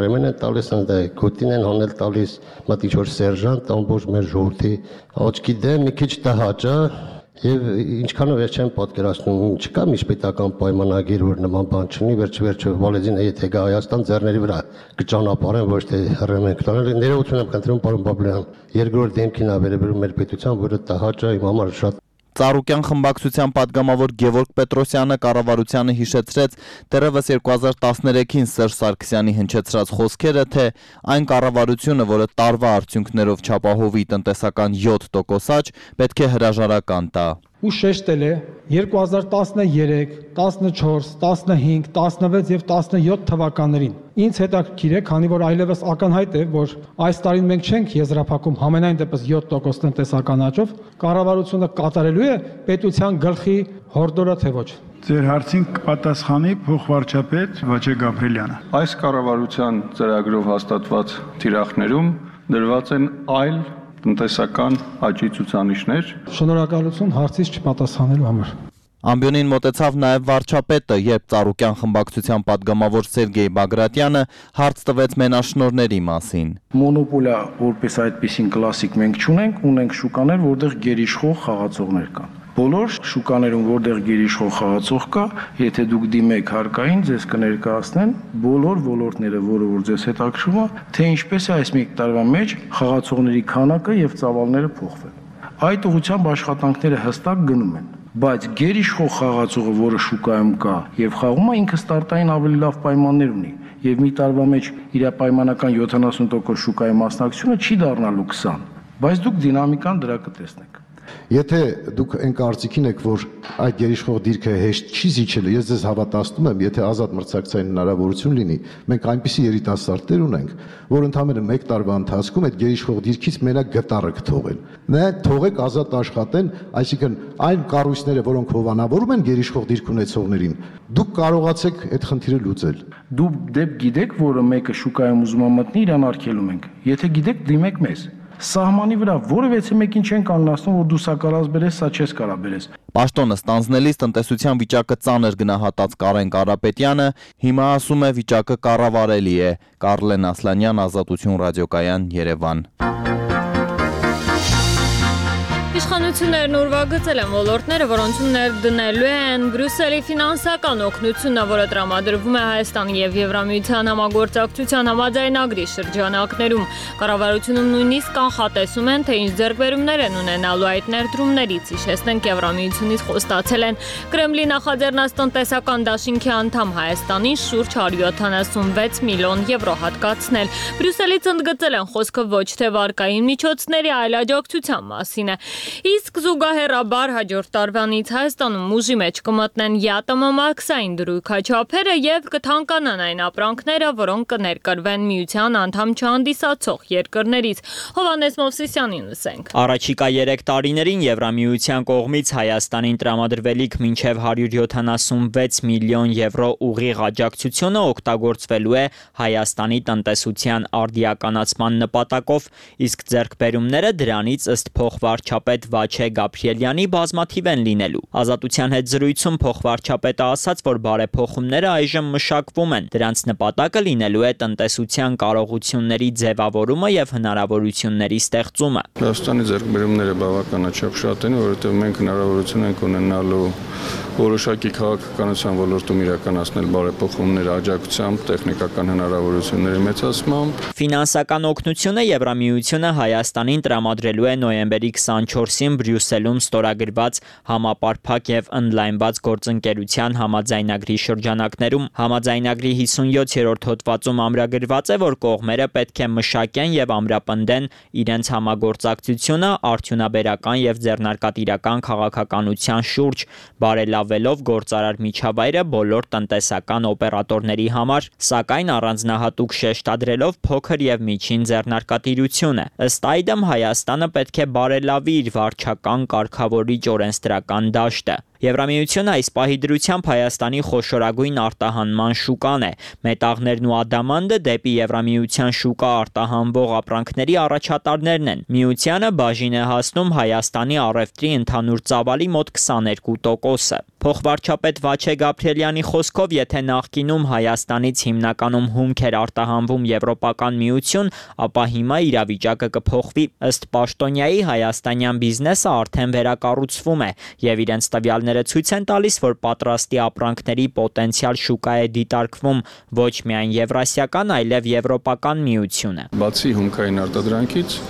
O: ռեմեն են տալիս, գոտին են հանել տալիս, մտի ինչ-որ սերժանտ, ամբողջ մեր ժողովրդի աչքի դեմ մի քիչ տհաճ է։ Եվ ինչքանով ես չեմ պատկերացնում, չկա միջպետական պայմանագիր, որ նման բան չունի, վերջ-վերջը Վալեզինը եթե գա Հայաստան ձեռների վրա կճանապարհեն, ոչ թե հռեմ ենք տանել։ Ներողություն եմ խնդրում, պարոն Բաբլոյան, երկրորդ դեմքին ա վերաբերում մեր պետության, որը տհաճ է իմ համար շատ։
L: Ծառուկյան խմբակցության падգամավոր Գևորգ Պետրոսյանը կառավարությանը հիշեցրեց դեռևս 2013-ին Սերժ Սարգսյանի հնչեցրած խոսքերը, թե այն կառավարությունը, որը տարվա արդյունքներով չապահովի տնտեսական 7% աճ, պետք է հրաժարական տա։
P: Ու շեշտել է 2013, 14, 15, 16 եւ 17 թվականներին։ Ինձ հետաքրքիր է, քանի որ այլևս ակնհայտ է, որ այս տարին մենք չենք եզրափակում համենայն դեպս 7% տնտեսական աճով, կառավարությունը կատարելու է պետության գլխի հորդորը թե ոչ։
G: Ձեր հարցին կպատասխանի փոխվարչապետ Վաչե Գաբրելյանը։
N: Այս կառավարության ծրագրով հաստատված թիրախներում դրված են այլ տնտեսական աճի ցուցանիշներ։
P: Շնորհակալություն հարցից չպատասխանելու համար։
L: Ամբյոնին մոտեցավ նաև վարչապետը, երբ Ծառուկյան խմբակցության падգամավոր Սերգեյ Բագրատյանը հարց տվեց մենաշնորհների մասին։
Q: Մոնոպոլիա որպես այդպիսին կլասիկ մենք չունենք, ունենք շուկաներ, որտեղ գերիշխող խաղացողներ կան։ Բոլոր շուկաներում, որտեղ գերիշխող խաղացող կա, եթե դուք դիմեք հարկային, ձեզ կներկայացնեն բոլոր ոլորտները, որը որ ձեզ հետաքրքրում է, թե ինչպես է այս մի տարվա մեջ խաղացողների քանակը եւ ծավալները փոխվել։ Այդ ուղղությամբ աշխատանքները հստակ գնում են, բայց գերիշխող խաղացողը, որը շուկայում կա եւ խաղում է, ինքը ստարտային ավելի լավ պայմաններ ունի եւ մի տարվա մեջ իր պայմանական 70% շուկայի մասնակցությունը չի դառնալու 20, բայց դուք դինամիկան դրա կտեսնեք։
R: Եթե դուք այն կարծիքին եք, որ այդ գերիշխող դիրքը հեշտ չի զիջելու, ես ձեզ հավատացնում եմ, եթե ազատ մրցակցային հնարավորություն լինի, մենք այնպիսի երիտասարդներ ունենք, որ ընդամենը 1 տարվա ընթացքում այդ գերիշխող դիրքից մենակ գտարը կթողեն։ Նա թողեք ազատ աշխատեն, այսինքն այն կառույցները, որոնք հովանավորում են գերիշխող դիրք ունեցողներին, դուք կարողացեք այդ խնդիրը լուծել։
Q: Դուք դեպ գիտեք, որը մեկը շուկայում ուզում է մտնի, իրան արգելում ենք։ Եթե գիտեք, դիմեք մեզ։ Սահմանի վրա որևէ մեկին չեն կանգնացնում, որ դու սա կարաս բերես, սա չես կարա բերես։
L: Պաշտոնը ստանձնելիս տնտեսության վիճակը ծանր գնահատած Կարեն Կարապետյանը հիմա ասում է վիճակը կառավարելի է։ Կարլեն Ասլանյան, Ազատություն ռադիոկայան, Երևան։
A: Իշխանություններն ուրվագծել են ոլորտները, որոնցում ներդնելու են Բրյուսելի ֆինանսական օգնությունը, որը տրամադրվում է Հայաստանի եւ Եվրամիության համագործակցության համաձայնագրի շրջանակներում։ Կառավարությունում նույնիսկ կանխատեսում են, թե ինչ ձեռքբերումներ են ունենալու այդ ներդրումներից։ Հիշեցնենք, Եվրամիությունից խոստացել են Կրեմլի նախաձեռնած տնտեսական դաշինքի անդամ Հայաստանին շուրջ 176 միլիոն եվրո հատկացնել։ Բրյուսելից ընդգծել են խոսքը ոչ թե վարկային միջոցների, այլ աջակցության մասին է։ Իսկ զուգահեռաբար հաջորդ տարվանից Հայաստանում ուժի մեջ կմտնեն յատմամաքսային դրույքաչափերը եւ կթանկանան այն ապրանքները, որոնք կներկրվեն միության անդամ չհանդիսացող երկրներից։ Հովհաննես Մովսիսյանին լսենք։
S: Առաջիկա 3 տարիներին Եվրամիության կողմից Հայաստանին տրամադրվելիք մինչև 176 միլիոն եվրո ուղիղ աջակցությունը օգտագործվելու է Հայաստանի տնտեսության արդիականացման նպատակով, իսկ ձեռքբերումները դրանից ըստ փոխվարչապետ փոխվարչապետ Վաչե Գաբրիելյանի բազմաթիվ են լինելու։ Ազատության հետ զրույցում փոխվարչապետը ասաց, որ բարեփոխումները այժմ մշակվում են։ Դրանց նպատակը լինելու է տնտեսության կարողությունների ձևավորումը եւ հնարավորությունների ստեղծումը։
T: Հայաստանի ձեռքբերումները բավականաչափ շատ են, որովհետեւ մենք հնարավորություն ենք ունենալու որոշակի քաղաքականության ոլորտում իրականացնել բարեփոխումներ աջակցությամբ, տեխնիկական հնարավորությունների մեծացմամբ։
S: Ֆինանսական օգնությունը Եվրամիությունը Հայաստանին տրամադրելու է նոյեմբերի 24-ին Բրյուսելում ստորագրված համապարփակ եւ ընդլայնված գործընկերության համաձայնագրի շրջանակներում։ Համաձայնագրի 57-րդ հոդվածում ամրագրված է, որ կողմերը պետք է մշակեն եւ ամրապնդեն իրենց համագործակցությունը արդյունաբերական եւ ձեռնարկատիրական քաղաքականության շուրջ, բարելավելով գործարար միջավայրը բոլոր տնտեսական օպերատորների համար, սակայն առանձնահատուկ շեշտադրելով փոքր եւ միջին ձեռնարկատիրությունը։ Ըստ այդմ Հայաստանը պետք է բարելավի իր վարչական կարգավորիչ օրենսդրական դաշտը։ Եվրամիությունը այս պահի դրությամբ Հայաստանի խոշորագույն արտահանման շուկան է։ Մետաղներն ու ադամանդը դեպի Եվրամիության շուկա արտահանվող ապրանքների առաջատարներն են։ Միությանը բաժին է հասնում Հայաստանի առևտրի ընդհանուր ծավալի մոտ 22%-ը։ Փոխվարչապետ Վաչե Գաբրիելյանի խոսքով, եթե նախկինում Հայաստանից հիմնականում հումք էր արտահանվում Եվրոպական միություն, ապա հիմա իրավիճակը կփոխվի։ Ըստ պաշտոնյայի հայաստանյան բիզնեսը արդեն վերակառուցվում է եւ իրենց տվյալները ցույց են տալիս, որ պատրաստի ապրանքների պոտենցիալ շուկա է դիտարկվում ոչ միայն Եվրասիական, այլև Եվրոպական միությունը։
T: Բացի հումքային արտադրանքից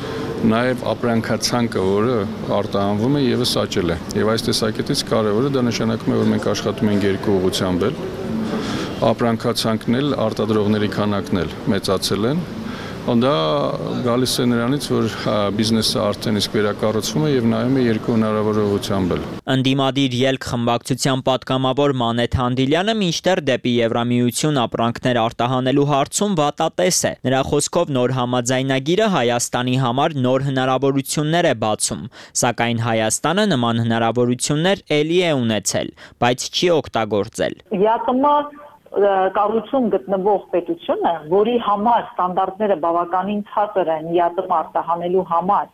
T: նաև ապրանքացանկը, որը արտահանվում է, եւս աճել է։ Եվ այս տեսակետից կարևորը դա նշանակում է, որ մենք աշխատում ենք երկու ուղղությամբ էլ։ Ապրանքացանկն էլ, արտադրողների քանակն էլ մեծացել են։ Դա գալիս է նրանից, որ բիզնեսը արդեն իսկ վերակառուցվում է եւ նայում է երկու հնարավոր ուղղությամբ էլ։
S: Ընդդիմադիր ելք խմբակցության պատգամավոր Մանեթ Հանդիլյանը մինչդեռ դեպի Եվրամիություն ապրանքներ արտահանելու հարցում վատատես է։ Նրա խոսքով նոր համաձայնագիրը Հայաստանի համար նոր հնարավորություններ է բացում, սակայն Հայաստանը նման հնարավորություններ ելի է ունեցել, բայց չի օգտագործել։
U: Կառուցում գտնվող պետությունը, որի համար ստանդարտները բավականին ցածր են ԵԱՏՄ արտահանելու համար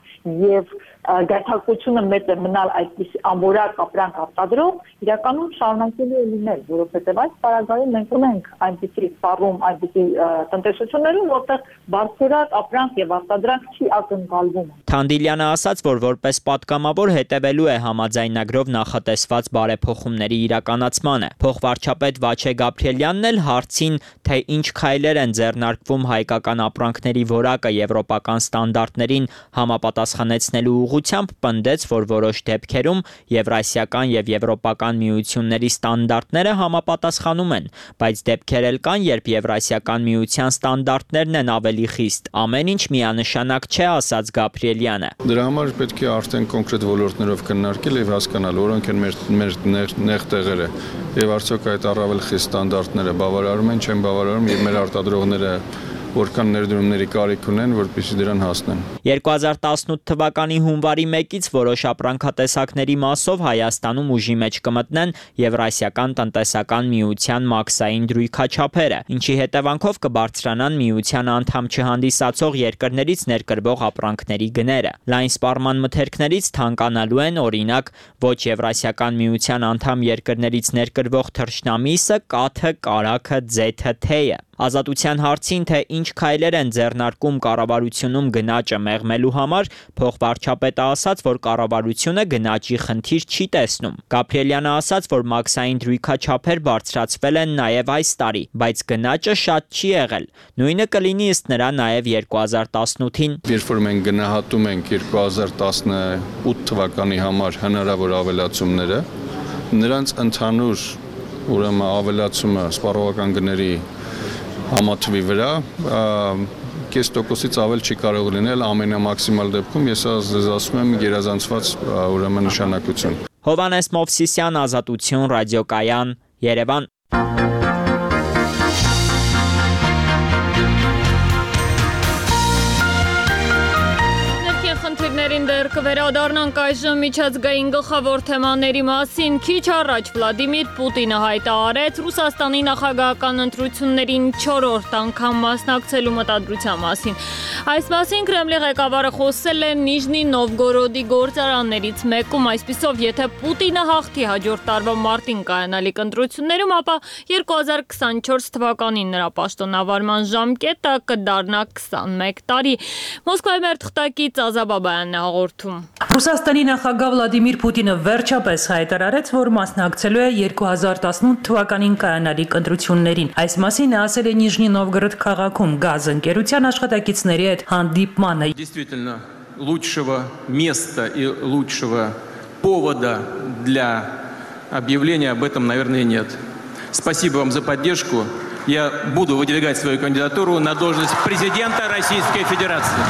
U: եւ գայթակղությունը մեծ է մնալ այդպես ամբողջ ապրանք արտադրող, իրականում շարունակելու է լինել, որովհետեւ այս պարագայում մենք ունենք այնպիսի սպառում, այնպիսի տնտեսություններում, որտեղ բարձրորակ ապրանք եւ արտադրանք չի ակնկալվում։
S: Թանդիլյանը ասաց, որ որպես պատգամավոր հետևելու է համաձայնագրով նախատեսված բարեփոխումների իրականացմանը։ Փոխվարչապետ Վաչե Գաբրիելյանն էլ հարցին, թե ինչ քայլեր են ձեռնարկվում հայկական ապրանքների որակը եվրոպական ստանդարտներին համապատասխանեցնելու ուղղությամբ, պնդեց, որ որոշ դեպքերում եվրասիական եւ եվրոպական միությունների ստանդարտները համապատասխանում են, բայց դեպքեր էլ կան, երբ եվրասիական միության ստանդարտներն են ավելի խիստ։ Ամեն ինչ միանշանակ չէ, ասաց Գաբրիելյանը։
T: Դրա համար պետք է արդեն կոնկրետ ոլորտներով քննարկել եւ հասկանալ, որոնք են մեր նեղ տեղերը եւ արդյոք այդ առավել խիստ ստանդարտները բավարարում են, չեն բավարարում եւ մեր արտադրողները որքան ներդրումների կարիք ունեն, որպեսզի դրան հասնեն։
S: 2018 թվականի հունվարի 1-ից որոշ ապրանքատեսակների մասով Հայաստանում ուժի մեջ կմտնեն Եվրասիական տնտեսական միության մաքսային դրույքաչափերը, ինչի հետևանքով կբարձրանան միության անդամ չհանդիսացող երկրներից ներկրվող ապրանքների գները։ Լայն սպառման մթերքներից թանկանալու են, օրինակ, ոչ Եվրասիական միության անդամ երկրներից ներկրվող թռչնամիսը, կաթը, կարագը, ձեթը, թեյը։ Ազատության հարցին, թե ինչ քայլեր են ձեռնարկում կառավարությունում գնաճը մեղմելու համար, փոխվարչապետը ասաց, որ կառավարությունը գնաճի խնդիր չի տեսնում։ Գաբրիելյանը ասաց, որ մաքսային դրույքաչափեր բարձրացվել են նաև այս տարի, բայց գնաճը շատ չի եղել։ Նույնը կլինի ըստ նրա նաև 2018-ին։
T: Երբ որ մենք գնահատում ենք 2018 թվականի համար հնարավոր ավելացումները, նրանց ընդհանուր ուրեմն ավելացումը սպառողական գների համաթվի վրա կես տոկոսից ավել չի կարող լինել ամենամաքսիմալ դեպքում, ես ասում եմ գերազանցված ուրեմն նշանակություն։
S: Հովանես Մովսիսյան, Ազատություն, ռադիոկայան, Երևան։
A: Խնդիրներին Դեռ կվերադառնանք այժմ միջազգային գլխավոր թեմաների մասին։ Քիչ առաջ Վլադիմիր Պուտինը հայտարարեց Ռուսաստանի նախագահական ընտրություններին 4-րդ անգամ մասնակցելու մտադրության մասին։ Այս մասին Կրեմլի ղեկավարը խոսել է Նիժնի Նովգորոդի գործարաններից մեկում, այսպիսով, եթե Պուտինը հաղթի հաջորդ տարվա մարտին կայանալիք ընտրություններում, ապա 2024 թվականին նրա պաշտոնավարման ժամկետը կդառնա 21 տարի։ Մոսկվայի մեր թղթակից Ազաբաբայանն է հաղորդում։
D: Ռուսաստանի նախագահ Վլադիմիր Պուտինը վերջապես հայտարարեց, որ մասնակցելու է 2018 թվականին կայանալիք ընտրություններին։ Այս մասին ասել է Նիժնի Նովգորոդ քաղաքում գազ ընկերության աշխատակիցների հետ հանդիպմանը։
V: Действительно, лучшего места и лучшего повода для объявления об этом, наверное, нет. Спасибо вам за поддержку. Я буду выдвигать свою кандидатуру на должность президента Российской Федерации.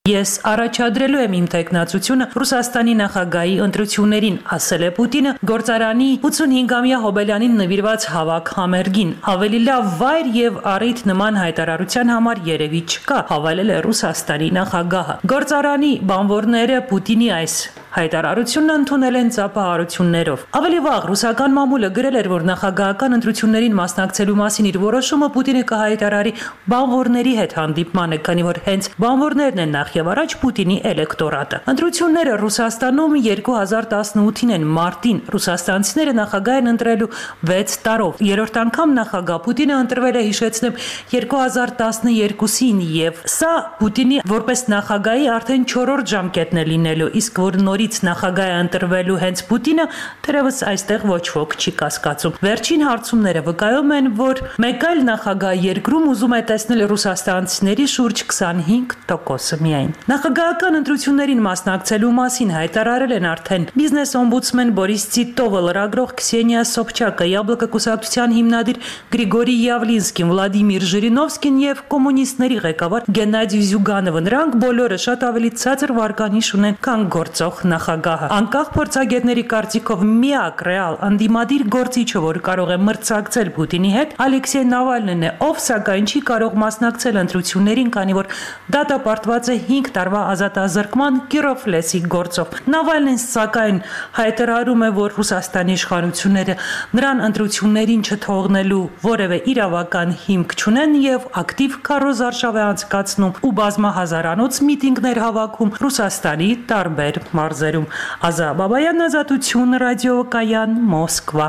D: Ես առաջադրելու եմ իմ տեխնացությունը Ռուսաստանի նախագահի ընտրություններին, ասել է Պուտինը գործարանի 85-ամյա հոբելյանին նվիրված հավաք համերգին։ Ավելի լավ վայր եւ առիթ նման հայտարարության համար երևի չկա, հավելել է Ռուսաստանի նախագահը։ Գործարանի բանվորները Պուտինի այս հայտարարությունն ընդունել են ծափահարություններով։ Ավելի վաղ ռուսական մամուլը գրել էր, որ նախագահական ընտրություններին մասնակցելու մասին իր որոշումը Պուտինը կհայտարարի բանվորների հետ հանդիպմանը, քանի որ հենց բանվորներն են նախ եւ առաջ Պուտինի էլեկտորատը։ Ընտրությունները Ռուսաստանում 2018-ին են մարտին։ Ռուսաստանցիները նախագահ են ընտրելու 6 տարով։ Երրորդ անգամ նախագահ Պուտինը ընտրվել է, հիշեցնեմ, 2012-ին եւ սա Պուտինի որպես նախագահի արդեն 4-րդ ժամկետն է լինելու, իսկ որ նորից նախագահ է ընտրվելու հենց Պուտինը, թերևս այստեղ ոչ ոք չի կասկածում։ Վերջին հարցումները վկայում են, որ մեկ այլ նախագահ երկրում ուզում է տեսնել ռուսաստանցիների շուրջ 25% միայն։ Նախագահական ընտրություններին մասնակցելու մասին հայտարարել են արդեն բիզնես օմբուդսմեն Բորիս Տիտովը, լրագրող Քսենիա Սոբչակը, Յաբլոկը կուսակցության հիմնադիր Գրիգորի Յավլինսկին, Վլադիմիր Ժիրինովսկին եւ կոմունիստների ղեկավար Գենադի Զյուգանովը։ Նրանք բոլորը շատ ավելի ցածր վարկանիշ ունեն, քան գործող նախագահը։ Անկախ փորձագետների կարծիքով միակ ռեալ անդիմադիր գործիչը, որ կարող է մրցակցել Պուտինի հետ, Ալեքսեյ Նավալնին է, ով սակայն չի կարող մասնակցել ընտրություններին, քանի որ դատապարտված է 5 տարվա ազատազրկման Կիրով լեսի գործով։ Նավալնին սակայն հայտարարում է, որ Ռուսաստանի իշխանությունները նրան ընտրություններին չթողնելու որևէ իրավական հիմք չունեն եւ ակտիվ քարոզարշավ է անցկացնում ու բազմահազարանոց միտինգներ հավաքում Ռուսաստանի տարբեր մարզերում։ Ազաբաբայան, Ազատություն, ռադիոկայան, Մոսկվա։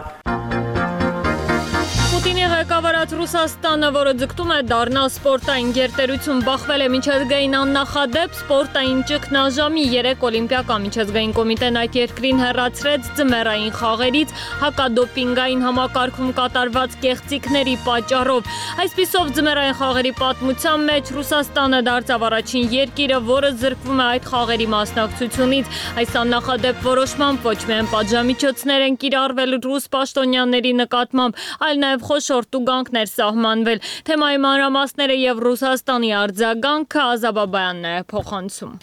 A: Պուտինի ղեկավարած Ռուսաստանը, որը ձգտում է դառնալ սպորտային գերտերություն, բախվել է միջազգային աննախադեպ սպորտային ճգնաժամի 3 օլիմպիական միջազգային կոմիտեն այդ երկրին հեռացրեց ձմեռային խաղերից հակադոպինգային համակարգում կատարված կեղծիքների պատճառով։ Այսպիսով ձմեռային խաղերի պատմության մեջ Ռուսաստանը դարձավ առաջին երկիրը, որը զրկվում է այդ խաղերի մասնակցությունից։ Այս աննախադեպ որոշմամբ ոչ միայն պատժամիջոցներ են կիրառվել ռուս պաշտոնյաների նկատմամբ, այլ նաև խոշոր տուգանքներ սահմանվել։ Թեմայի մանրամասները եւ Ռուսաստանի արձագանքը Ազաբաբայանն է փոխանցում։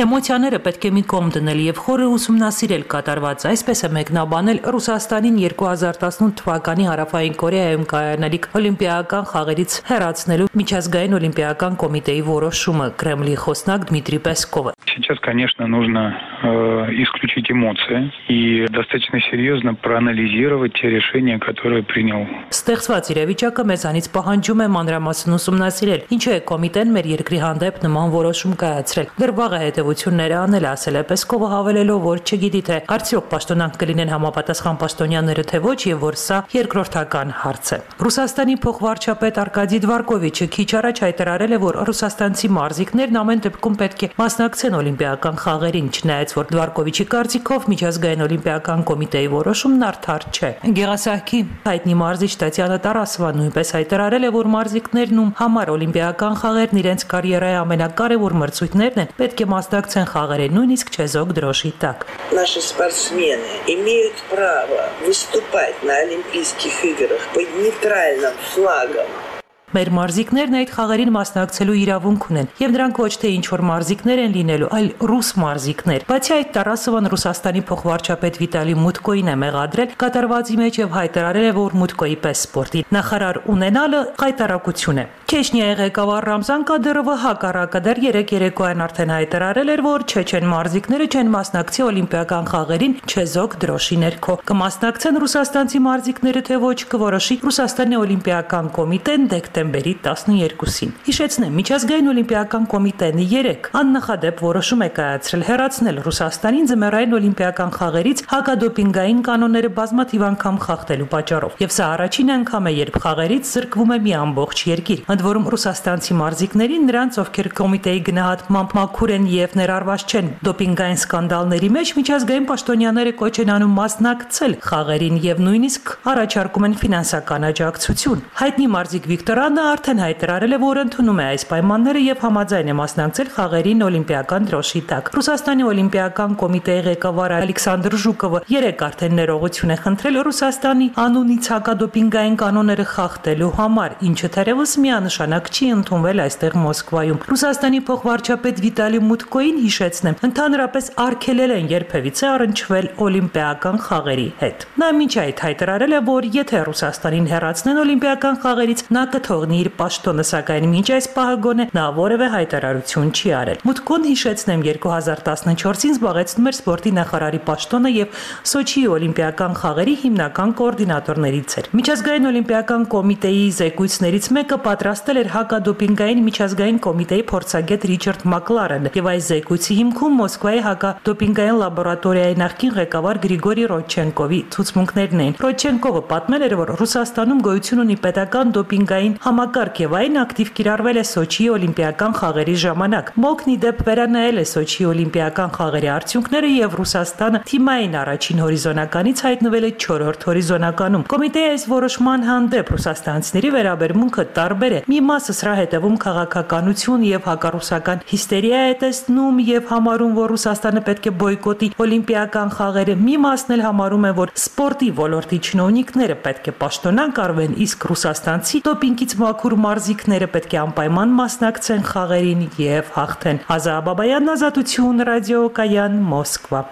D: Էմոցիաները պետք է մի կողմ դնել եւ խորը ուսումնասիրել կատարված, այսպես է մեկնաբանել Ռուսաստանին 2018 թվականի Հարավային Կորեայում կայանալիք օլիմպիական խաղերից հեռացնելու միջազգային օլիմպիական կոմիտեի որոշումը, Կրեմլի խոսնակ Դմիտրի Պեսկովը։
W: Сейчас, конечно, нужно исключить эмоции и достаточно серьезно проанализировать те решения, которые принял.
D: Ստեղծված իրավիճակը մեզանից պահանջում է մանրամասն ուսումնասիրել, ինչու է կոմիտեն մեր երկրի հանդեպ նման որոշում կայացրել։ Դեռ վաղ է հետևությունները անել, ասել է Պեսկովը, հավելելով, որ չգիտի թե արդյոք պաշտոնանք կլինեն համապատասխան պաշտոնյաները թե ոչ եւ որ սա երկրորդական հարց է։ Ռուսաստանի փոխվարչապետ Արկադի Դվարկովիչը քիչ առաջ հայտարարել է, որ ռուսաստանցի մարզիկներն ամեն դեպքում պետք է մասնակցեն օլիմպիական խաղերին, չնայած որ Դվարկովիչի կարծիքով միջազգային օլիմպիական կոմիտեի որոշումն արդար չէ։ Գեղասահքի հայտնի մարզիչ Տատյանա Տարասովան նույնպես հայտարարել է, որ մարզիկներն ում համար օլիմպիական խաղերն իրենց կարիերայի ամենակարևոր մրցույթներն են, պետք է մասնակցեն խաղերին, նույնիսկ չեզոք դրոշի տակ։
X: Наши спортсмены имеют право выступать на Олимпийских играх под нейтральным флагом.
D: Մեր մարզիկներն այդ խաղերին մասնակցելու իրավունք ունեն, եւ նրանք ոչ թե ինչ-որ մարզիկներ են լինելու, այլ ռուս մարզիկներ։ Բացի այդ, Տարասովան Ռուսաստանի փոխվարչապետ Վիտալի Մուտկոին է մեղադրել կատարվածի մեջ եւ հայտարարել է, որ Մուտկոյի պես սպորտի նախարար ունենալը խայտարակություն է։ Չեչնիայի ղեկավար Ռամզան Կադիրովը հակառակը դեռ 3 երեկոյան արդեն հայտարարել էր, որ չեչեն մարզիկները չեն մասնակցի օլիմպիական խաղերին չեզոք դրոշի ներքո։ Կմասնակցեն ռուսաստանցի մարզիկները, թե ոչ, կորոշի Ռուսաստանի օլիմպիական կոմիտեն դեկտեմբերի 12-ին։ Հիշեցնեմ, միջազգային օլիմպիական կոմիտեն 3 աննախադեպ որոշում է կայացրել հեռացնել Ռուսաստանին ձմեռային օլիմպիական խաղերից հակադոպինգային կանոնները բազմաթիվ անգամ խախտելու պատճառով։ Եվ սա առաջին անգամ է, երբ խաղերից զրկվում է մի ամբողջ երկիր։ Ընդ որում ռուսաստանցի մարզիկներին, նրանց, ովքեր կոմիտեի գնահատմամբ մաքուր են եւ ներառված չեն դոպինգային սկանդալների մեջ, միջազգային պաշտոնյաները կոչ են անում մասնակցել խաղերին եւ նույնիսկ առաջարկում են ֆինանսական աջակցություն։ Հայտնի մարզիկ Վիկտորյանը արդեն հայտարարել է, որ ընդունում է այս պայմանները եւ համաձայն է մասնակցել խաղերին օլիմպիական դրոշի տակ։ Ռուսաստանի օլիմպիական կոմիտեի ղեկավար Ալեքսանդր Ժուկովը 3 արդեն ներողություն է խնդրել Ռուսաստանի անունից հակադոպինգային կանոնները խախտելու համար, ինչը թերևս միանշանակ չի ընդունվել այստեղ Մոսկվայում։ Ռուսաստանի փոխվարչապետ Վիտալի Մուտկոին, հիշեցնեմ, ընդհանրապես արգելել են երբևիցե առնչվել օլիմպիական խաղերի հետ։ Նա մինչ այդ հայտարարել է, որ եթե Ռուսաստանին հեռացնեն օլիմպիական խաղերից, նա կթողնի իր պաշտոնը, սակայն մինչ այս պահը գոնե նա որևէ հայտարարություն չի արել։ Մուտկոն, հիշեցնեմ, 2014-ին զբաղեցնում էր սպորտի նախարարի պաշտոնը եւ Սոչիի օլիմպիական խաղերի հիմնական կոորդինատորներից էր։ Միջազգային օլիմպիական կոմիտեի զեկույցներից մեկը պատրաստել էր հակադոպինգային միջազգային կոմիտեի փորձագետ Ռիչարդ Մակլարենը եւ այս զեկույցի հիմքում Մոսկվայի հակադոպինգային լաբորատորիայի նախկին ղեկավար Գրիգորի Ռոդչենկովի ցուցմունքներն էին։ Ռոդչենկովը պատմել էր, որ Ռուսաստանում գոյություն ունի պետական դոպինգային համակարգ եւ այն ակտիվ կիրառվել է Սոչիի օլիմպիական խաղերի ժամանակ։ Մոկնի դեպ վերանայել է Սոչիի օլիմպիական խաղերի արդյունքները եւ Ռուսաստանը թիմային առաջին հորիզոնականից հայտնվել է 4-րդ հորիզոնականում։ Կոմիտեի այս որոշման հանդեպ ռուսաստանցիների վերաբերմունքը տարբեր է։ Մի մասը սրա հետևում քաղաքականություն եւ հակառուսական հիստերիա է տեսնում եւ համարում, որ Ռուսաստանը պետք է բոյկոտի օլիմպիական խաղերը։ Մի մասն էլ համարում է, որ սպորտի ոլորտի чиновникները պետք է պաշտոնանկ արվեն, իսկ ռուսաստանցի դոպինգից մաքուր մարզիկները պետք է անպայման մասնակցեն խաղերին եւ հաղթեն։ Ազա Բաբայան, Ազատություն, ռադիոկայան, Մոսկվա։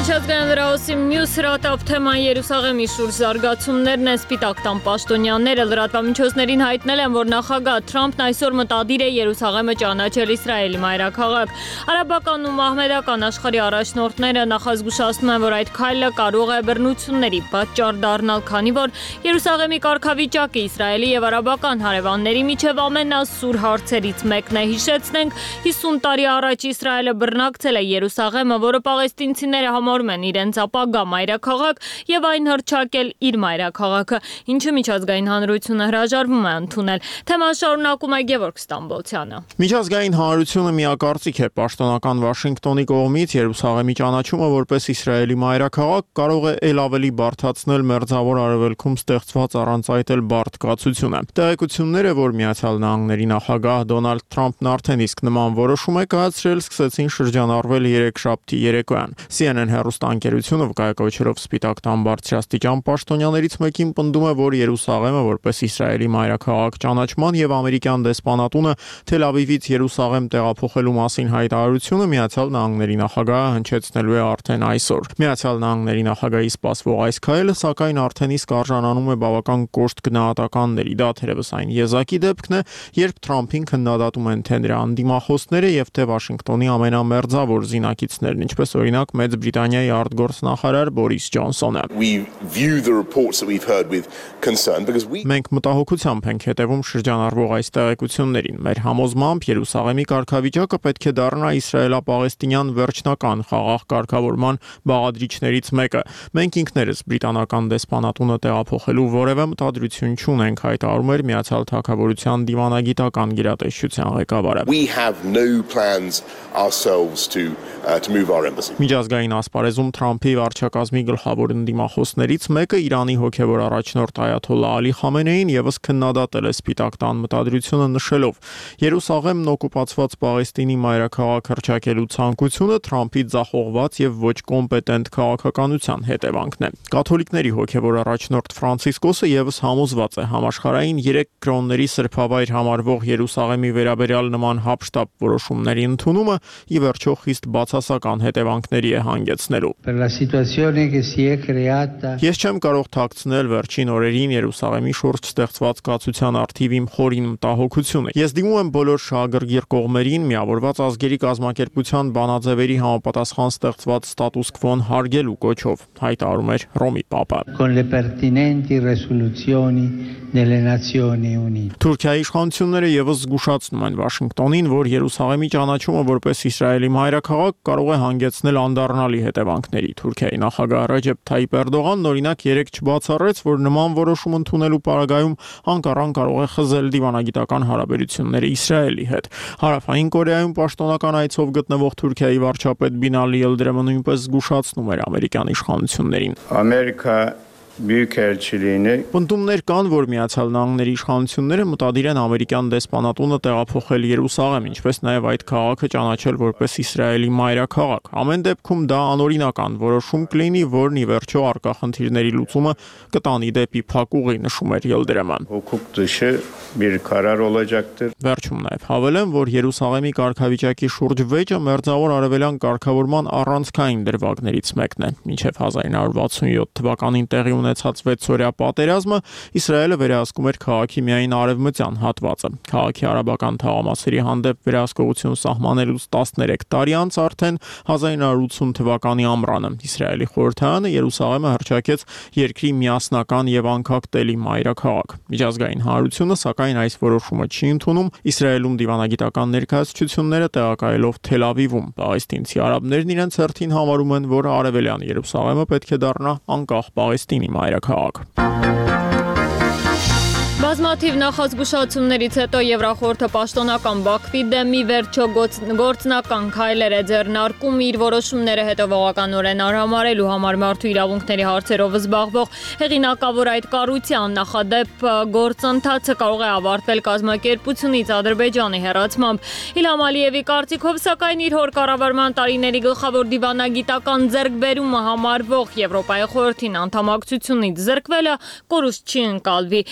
A: Միջազգային լրահոսի մյուս հրատապ թեման Երուսաղեմի շուրջ զարգացումներն են։ Սպիտակ տան պաշտոնյաները լրատվամիջոցներին հայտնել են, որ նախագահ Թրամփն այսօր մտադիր է Երուսաղեմը ճանաչել Իսրայելի մայրաքաղաք։ Արաբական ու մահմեդական աշխարհի առաջնորդները նախազգուշացնում են, որ այդ քայլը կարող է բռնությունների պատճառ դառնալ, քանի որ Երուսաղեմի կարգավիճակը Իսրայելի եւ արաբական հարևանների միջև ամենասուր հարցերից մեկն է։ Հիշեցնենք, 50 տարի առաջ Իսրայելը բռնակցել է Երուսաղեմը, որը պաղեստինցիները համարում են իրենց ապագա մայրաքաղաք եւ այն հռչակել իր մայրաքաղաքը, ինչը միջազգային հանրությունը հրաժարվում է ընդունել։ Թեման շարունակում է Գևորգ Ստամբոլցյանը։
B: Միջազգային հանրությունը միակարծիք է պաշտոնական Վաշինգտոնի կողմից Երուսաղեմի ճանաչումը որպես Իսրայելի մայրաքաղաք կարող է ել ավելի բարդացնել մերձավոր արևելքում ստեղծված առանց այդ էլ բարդ կացությունը։ Տեղեկությունները, որ Միացյալ Նահանգների նախագահ Դոնալդ Թրամփն արդեն իսկ նման որոշում է կայացրել, սկսեցին շրջանառվել երեքշաբթի երեկոյան։ CNN հեռուստաընկերությունը վկայակոչելով Սպիտակ տան բարձրաստիճան պաշտոնյաներից մեկին պնդում է, որ Երուսաղեմը որպես Իսրայելի մայրաքաղաք ճանաչման եւ ամերիկյան դեսպանատունը Թել Ավիվից Երուսաղեմ տեղափոխելու մասին հայտարարությունը Միացյալ Նահանգների նախագահը հնչեցնելու է արդեն այսօր։ Միացյալ Նահանգների նախագահի սպասվող այս քայլը սակայն արդեն իսկ արժանանում է բավական կոշտ գնահատականների։ Դա թերևս այն եզակի դեպքն է, երբ Թրամփին քննադատում են թե նրա անդիմախոսները եւ թե Վաշինգտոնի ամենամերձավոր զինակիցներն, ինչպես օրինակ Մեծ Բրիտանիայի արտգործնախարար Բորիս Ջոնսոնը։ Մենք մտահոգությամբ ենք հետևում շրջանառվող այս տեղեկություններին։ Մեր համոզմամբ Երուսաղեմի կարգավիճակը պետք է դառնա իսրայելա-պաղեստինյան վերջնական խաղաղ կարգավորման բաղադրիչներից մեկը։ Մենք ինքներս բրիտանական դեսպանատունը տեղափոխելու որևէ մտադրություն չունենք, հայտարարում էր Միացյալ Թագավորության դիվանագիտական գերատեսչության ղեկավարը։ Միջազգային ասպարեզում Թրամփի վարչակազմի գլխավոր ընդդիմախոսներից մեկը Իրանի հոգևոր առաջնորդ Այաթոլլահ Ալի Խամենեին եւս քննադատել է Սպիտակ տան մտադրությունը, նշելով. Երուսաղեմն օկուպացված Պաղեստինի մայրաքաղաք հռչակելու ցանկությունը Թրամփի ձախողված եւ ոչ կոմպետենտ քաղաքականության հետևանքն է։ Կաթոլիկների հոգևոր առաջնորդ Ֆրանցիսկոսը եւս համոզված է համաշխարհային 3 կրոնների սրբավայր համարվող Երուսաղեմի վերաբերյալ նման հապշտապ որոշումների ընդունումը ի վերջո խիստ բացասական հետևանքների է հանգեցնելու։ Ես չեմ կարող թաքցնել վերջին օրերին Երուսաղեմի շուրջ ստեղծված կացության առթիվ իմ խորին մտահոգությունը։ Ես դիմում եմ բոլոր շահագրգիռ կողմերին Միավորված ազգերի կազմակերպության բանաձևերի համապատասխան ստեղծված ստատուս քվոն հարգելու կոչով, հայտարարում էր Ռոմի Պապը։ Թուրքիայի իշխանությունները եւս զգուշացնում են Վաշինգտոնին, որ Երուսաղեմի ճանաչումը որպես Իսրայելի մայրաքաղաք կարող է հանգեցնել անդառնալի հետևանքների։ Թուրքիայի նախագահ Ռեջեփ Թայիպ Էրդողանն օրինակ երեկ չբացառեց, որ նման որոշում ընդունելու պարագայում Անկարան կարող է խզել դիվանագիտական հարաբերությունները Իսրայելի հետ։ Հարավային Կորեայում պաշտոնական այցով գտնվող Թուրքիայի վարչապետ Բինալի Ելդրեմը նույնպես զգուշացնում էր ամերիկյան իշխանություններին։ Պնդումներ կան, որ Միացյալ Նահանգների իշխանությունները մտադիր են ամերիկյան դեսպանատունը տեղափոխել Երուսաղեմ, ինչպես նաև այդ քաղաքը ճանաչել որպես Իսրայելի մայրաքաղաք։ Ամեն դեպքում դա անօրինական որոշում կլինի, որն ի վերջո առկա խնդիրների լուծումը կտանի դեպի փակ ուղի, նշում էր Ելդրեմը։ Վերջում նաև հավելեմ, որ Երուսաղեմի կարգավիճակի շուրջ վեճը մերձավոր արևելյան կարգավորման առանցքային դրվագներից մեկն է։ Մինչև 1967 թվականին տեղի ունեցած 6-օրյա պատերազմը Իսրայելը վերահսկում էր քաղաքի միայն արևմտյան հատվածը։ Քաղաքի արաբական թաղամասերի հանդեպ վերահսկողություն սահմանելուց 13 տարի անց արդեն 1980 թվականի ամռանը Իսրայելի խորհրդարանը Երուսաղեմը հռչակեց երկրի միասնական եւ անկախտելի մայրաքաղաք։ Միջազգային հանրությունը սակայն այս որոշումը չի ընդունում, Իսրայելում դիվանագիտական ներկայացությունները տեղակայելով Թել Ավիվում։ Պաղեստինցի արաբներն իրենց հերթին համարում են, որ արևելյան Երուսաղեմը պետք է դառնա անկախ Պաղեստինի մայրաքաղաք։
A: Բազմաթիվ նախազգուշացումներից հետո Եվրախորհուրդը պաշտոնական Բաքվի դեմ ի վերջո գործնական քայլեր է ձեռնարկում իր որոշումները հետևողականորեն արհամարելու համար մարդու իրավունքների հարցերով զբաղվող հեղինակավոր այդ կառույցի աննախադեպ գործընթացը կարող է ավարտվել կազմակերպությունից Ադրբեջանի հեռացմամբ։ Իլհամ Ալիևի կարծիքով, սակայն իր հոր կառավարման տարիների գլխավոր դիվանագիտական ձեռքբերումը համարվող Եվրոպայի խորհրդին անդամակցությունից զրկվելը կորուստ չի ընկալվի։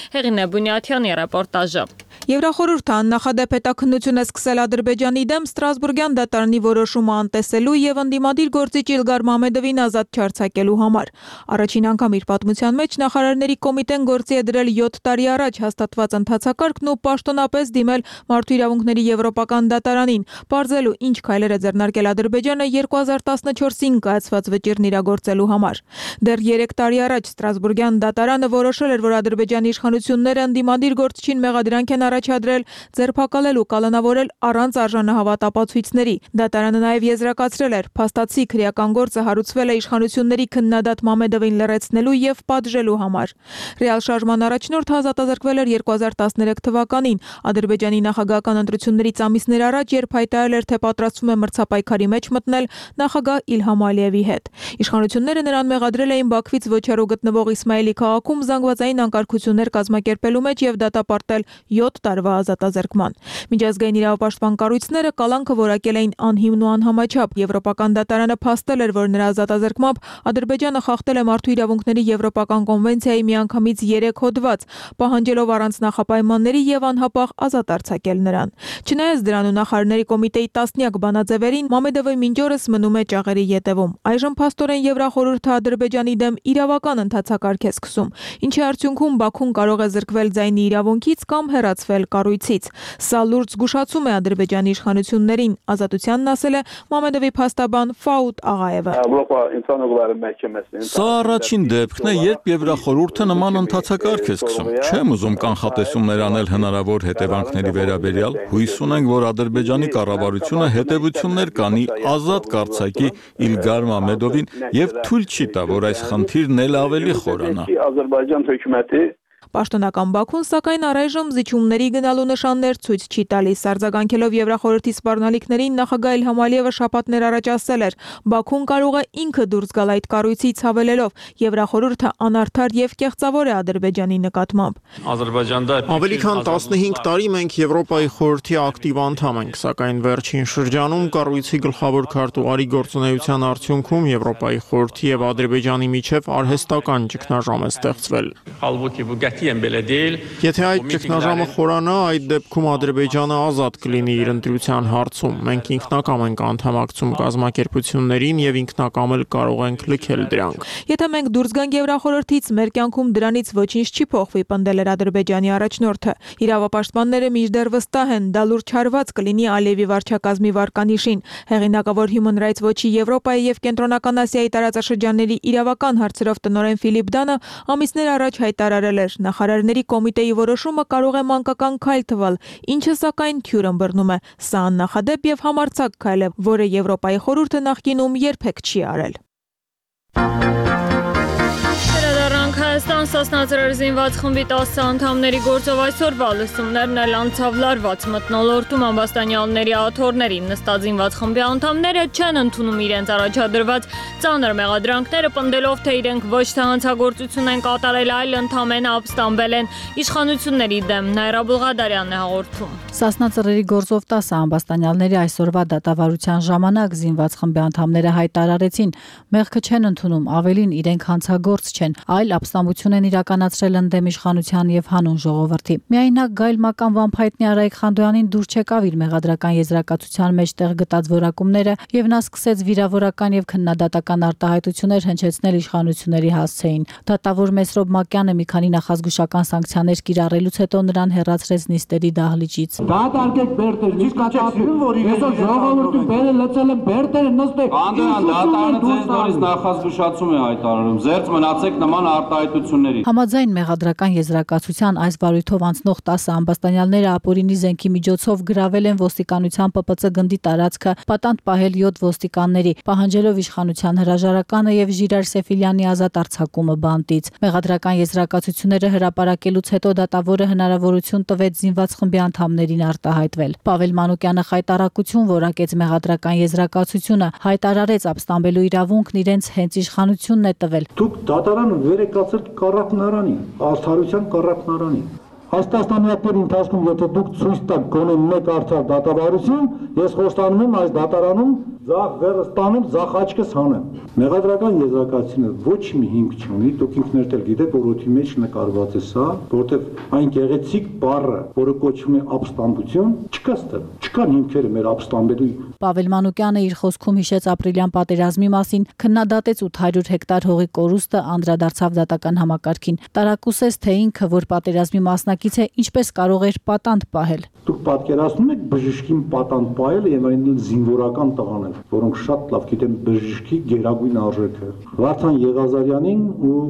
A: Բունյաթյանի ռեպորտաժը։
C: Եվրախորհուրդը աննախադեպ հետաքննություն է սկսել Ադրբեջանի դեմ Ստրասբուրգյան դատարանի որոշումը անտեսելու եւ ընդդիմադիր գործիչ Իլգար Մամեդովին ազատ չարձակելու համար։ Առաջին անգամ իր պատմության մեջ նախարարների կոմիտեն գործի է դրել 7 տարի առաջ հաստատված ընթացակարգն ու պաշտոնապես դիմել մարդու իրավունքների եվրոպական դատարանին, պարզելու ինչ քայլեր է ձեռնարկել Ադրբեջանը 2014-ին կայացված վճիռն իրագործելու համար։ Դեռ 3 տարի առաջ Ստրասբուրգյան դատարանը որոշել էր, որ Ադրբեջանի իշխանությունները ընդդիմադիր գործչին մեղադրանք են առաջադրել ձերբակալել ու կալանավորել առանց արժանահավատ ապացույցների։ Դատարանը նաև եզրակացրել էր, փաստացի քրեական գործը հարուցվել է իշխանությունների քննադատ Մամեդովին լրացնելու եւ պատժելու համար։ Ռեալ շարժման առաջնորդ ազատազրկվել էր 2013 թվականին Ադրբեջանի նախագահական ընտրություններից ամիսներ առաջ, երբ հայտարարել էր, թե պատրաստվում է մրցապայքարի մեջ մտնել նախագահ Իլհամ Ալիևի հետ։ Իշխանությունները նրան մեղադրել էին Բաքվից ոչ հեռու գտնվող Իսմայելի քաղաքում զանգվածային անկարգություններ կազմակերպելու մեջ եւ դատապարտել 7 տարվա ազատազրկման։ Միջազգային իրավապաշտպան կառույցները կալանքը որակել էին անհիմն ու անհամաչափ։ Եվրոպական դատարանը փաստել էր, որ նրա ազատազրկմամբ Ադրբեջանը խախտել է մարդու իրավունքների եվրոպական կոնվենցիայի միանգամից 3 հոդված, պահանջելով առանց նախապայմանների եւ անհապաղ ազատ արձակել նրան։ Չնայած դրան ու նախարարների կոմիտեի տասնյակ բանաձևերին Մամեդովը մինչ օրս մնում է ճաղերի ետևում։ Այժմ փաստորեն Եվրախորհուրդը Ադրբեջանի դեմ իրավական ընթացակարգ է սկսում, ինչի արդյունքում Բաքուն կարող է զրկվել ձայնի իրավունքից կամ հեռացվել կառույցից։ Սա լուրջ զգուշացում է Ադրբեջանի իշխանություններին, ազատությանն ասել է Մամեդովի փաստաբան Ֆաուտ Աղաևը։
E: Սա առաջին դեպքն է, երբ Եվրախորհուրդը նման ընթացակարգ է սկսում։ Չեմ ուզում կանխատեսումներ անել հնարավոր հետևանքների վերաբերյալ։ Հույս ունենք, որ Ադրբեջանի կառավարությունը հետևություններ կանի ազատ կառուցակի Իլգար Մամեդովին եւ թույլ չի տա, որ այս խնդիրն էլ ավելի խորանա։
C: Պաշտոնական Բաքուն, սակայն առայժմ զիջումների գնալու նշաններ ցույց չի տալիս։ Արձագանքելով Եվրախորհրդի սպառնալիքներին նախագահ Իլհամ Ալիևը շաբաթներ առաջ ասել էր, Բաքուն կարող է ինքը դուրս գալ այդ կառույցից, հավելելով, Եվրախորհուրդը անարդար եւ կեղծավոր է Ադրբեջանի նկատմամբ։
B: Ավելի քան 15 տարի մենք Եվրոպայի խորհրդի ակտիվ անդամ ենք, սակայն վերջին շրջանում կառույցի գլխավոր քարտուղարի գործունեության արդյունքում Եվրոպայի խորհրդի եւ Ադրբեջանի միջև արհեստական ճգնաժամ է ստեղծվել։ Եթե այդ ճգնաժամը խորանա, այդ դեպքում Ադրբեջանը ազատ կլինի իր ընտրության հարցում։ Մենք ինքնակամ ենք անդամակցում կազմակերպություններին եւ ինքնակամ էլ կարող ենք լքել դրանք։
C: Եթե մենք դուրս գանք Եվրախորհրդից, մեր կյանքում դրանից ոչինչ չի փոխվի, պնդել էր Ադրբեջանի առաջնորդը։ Իրավապաշտպանները մինչդեռ վստահ են, դա լուրջ հարված կլինի Ալիևի վարչակազմի վարկանիշին։ Հեղինակավոր Human Rights Watch-ի Եվրոպայի եւ Կենտրոնական Ասիայի տարածաշրջանների իրավական հարցերով տնօրեն Ֆիլիպ Դանը ամիսներ առաջ հայտարարել էր, նախարարների կոմիտեի որոշումը կարող է մանկական քայլ թվալ, ինչը սակայն թյուր ըմբռնում է։ Սա աննախադեպ եւ համարձակ քայլ է, որը Եվրոպայի խորհուրդը նախկինում երբեք չի արել։
A: Հայաստան Սասնաձրեր զինված խմբի 10 անդամների գործով այսօրվա լսումներն էլ անցավ լարված մթնոլորտում ամբաստանյալների աթոռներին։ Նստած զինված խմբի անդամները չեն ընդունում իրենց առաջադրված ծանր մեղադրանքները, պնդելով, թե իրենք ոչ թե հանցագործություն են կատարել, այլ ընդամենը ապստամբել են իշխանությունների դեմ։ Նաիրա Բուլղադարյանն է հաղորդում։
F: Սասնաձրերի գործով 10 ամբաստանյալների այսօրվա դատավարության ժամանակ զինված խմբի անդամները հայտարարեցին, մեղքը չեն ընդունում, ավելին իրենք հանցագործ չեն, այլ ապստամբություն են իրականացրել ընդդեմ իշխանության եւ հանուն ժողովրդի։ Միայնակ Գայլ Մական Վանփայտնի Արայք Խանդոյանին դուր չեկավ իր մեղադրական եզրակացության մեջ տեղ գտած որակումները եւ նա սկսեց վիրավորական եւ քննադատական արտահայտություններ հնչեցնել իշխանությունների հասցեին։ Դատավոր Մեսրոբ Մակյանը մի քանի նախազգուշական սանկցիաներ կիրառելուց հետո նրան հեռացրեց նիստերի դահլիճից։
H: Դատարկեք բերտեր, իսկ կապին, որ այսօր ժողովրդին բերը լցել են բերտերը նստեք։
J: Անդրեան դատարանը ձեզ նորից նախազգուշացում է հայտարարում։ Զերծ մնացեք նման արտահայտությունների։
F: Համաձայն մեղադրական եզրակացության այս վարույթով անցնող 10 ամբաստանյալները ապօրինի զենքի միջոցով գրավել են ոստիկանության ՊՊՑ գնդի տարածքը, պատանդ պահել 7 ոստիկանների, պահանջելով իշխանության հրաժարականը եւ Ժիրայր Սեֆիլյանի ազատ արձակումը բանտից։ Մեղադրական եզրակացությունները հրապարակելուց հետո դատավորը հնարավորություն տվեց զինված խմբի անդամներին արտահայտվել։ Պավել Մանուկյանը խայտարակություն որակեց մեղադրական եզրակացությունը, հայտարարեց ապստամբելու իրավունքն իրենց հենց իշխանությունն է տվել։
H: Դուք դատարանը վերեկացել կառախնարանի, արդարության կառախնարանի։ Այս տասնամյակների ընթացքում եթե դուք ցույց տաք գոնե մեկ արդար դատավարություն, ես խոստանում եմ այս դատարանում ձախ վերս տանեմ, ձախ աչքս հանեմ։ Մեղադրական եզրակացությունը ոչ մի հիմք չունի, դուք ինքներդ էլ գիտեք, որ օդի մեջ նկարված է սա, որտեղ այն գեղեցիկ բառը, որը կոչվում է ապստամբություն, չկա ստեղ, չկան հիմքերը մեր ապստամբելու։
F: Պավել Մանուկյանը իր խոսքում հիշեց ապրիլյան պատերազմի մասին, քննադատեց 800 հեկտար հողի կորուստը, անդրադարձավ դատական համակարգին։ Տարակուսեց, թե ինքը, որ պատերազմի մասնակից է, ինչպես կարող էր պատանդ պահել։
H: Դուք պատկերացնում եք բժշկին պատանդ պահելը եւ այն զինվորական տղաներ, որոնք շատ լավ գիտեն բժշկի գերագույն արժեքը։ Վարդան Եղազարյանին ու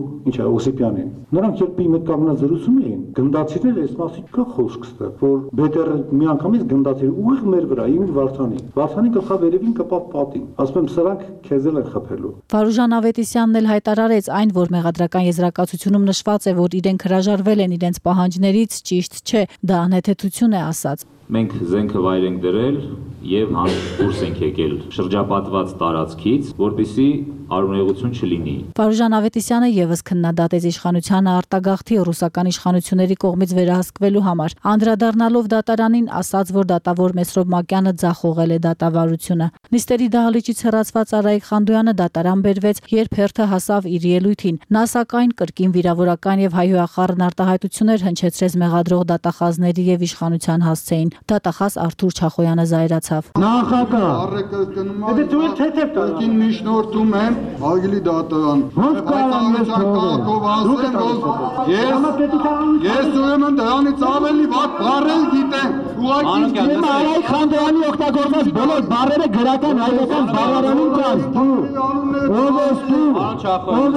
H: Օսիպյանին։ Նրանք երբ իմ հետ կանգնած զրուցում էին, գնդացիներ այս մասի կա խոսք ստեղ, որ բետերը միանգամից գնդացիր ուղիղ մեր վրա, իմ Վարդանի։ Վարդանի գլխավերևին կպավ պատին։ Ասում եմ, սրանք քեզ էլ են խփելու։
F: Վարուժան Ավետիսյանն էլ հայտարարեց այն, որ մեղադրական եզրակացությունում նշված է, որ իրենք հրաժարվել են իրենց պահանջներից, ճիշտ չէ, դա անհեթեթություն է ասած։
K: Մենք զենքը վայր ենք դրել եւ դուրս ենք եկել շրջապատված տարածքից, որպեսզի արունեղություն չլինի։
F: Վարուժան Ավետիսյանը եւս քննադատեց իշխանությանը արտագաղթի ռուսական իշխանությունների կողմից վերահսկվելու համար, անդրադառնալով դատարանին ասաց, որ դատավոր Մեսրոբ Մակյանը ձախողել է դատավարությունը։ Նիստերի դահլիճից հեռացված Արայք Խանդոյանը դատարան բերվեց, երբ հերթը հասավ իր ելույթին։ Նա սակայն կրկին վիրավորական եւ հայհոյախառն արտահայտություններ հնչեցրեց մեղադրող դատախազների եւ իշխանության հասցեին։ Դատախազ Արթուր Չախոյանը զայրացավ։
H: Նախագահ,
J: Եթե դու էլ թեթև կրկին միջնորդում եմ Արգելի դատարան։
H: Ոնց կարող ես
J: կարգով ասեմ, որ ես ուրեմն դրանից ավելի վատ բառեր գիտեմ։ Ուղղակի
H: Արայք Խանդոյանի օգտագործած բոլոր բառերը գրական հայկական բառարանին կան։ Ով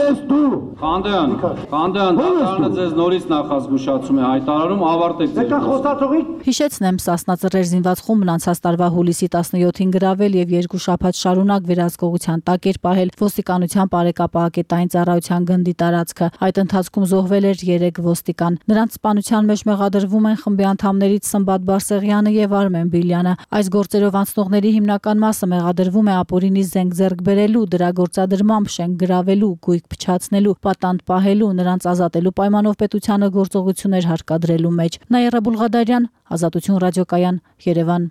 H: ես դու։
J: Խանդոյան, դատարանը ձեզ նորից նախազգուշացում է հայտարարում, ավարտեք ձեր
H: խոստացողի։
F: Հիշեցնեմ, Սասնաձրեր զինված խումբն անցած տարվա հուլիսի 17-ին գրավել եւ 2 շաբաթ շարունակ վերահսկողության տակ էր պահել ոստիկանության բարեկապահակետային ծառայության գնդի տարածքը։ Այդ ընթացքում զոհվել էր 3 ոստիկան։ Նրանց սպանության մեջ մեղադրվում են խմբի անդամներից Սմբատ Բարսեղյանը եւ Արմեն Բիլյանը։ Այս գործերով անցնողների հիմնական մասը մեղադրվում է ապօրինի զենք ձեռք բերելու, դրա գործադրմամբ շենք գրավելու, գույք փչացնելու, պատանդ պահելու, նրանց ազատելու պայմանով պետությանը գործողություններ հարկադրելու մեջ։ Նաիրա Բուլղադարյան, Ազատություն ռադիոկայան, Երևան։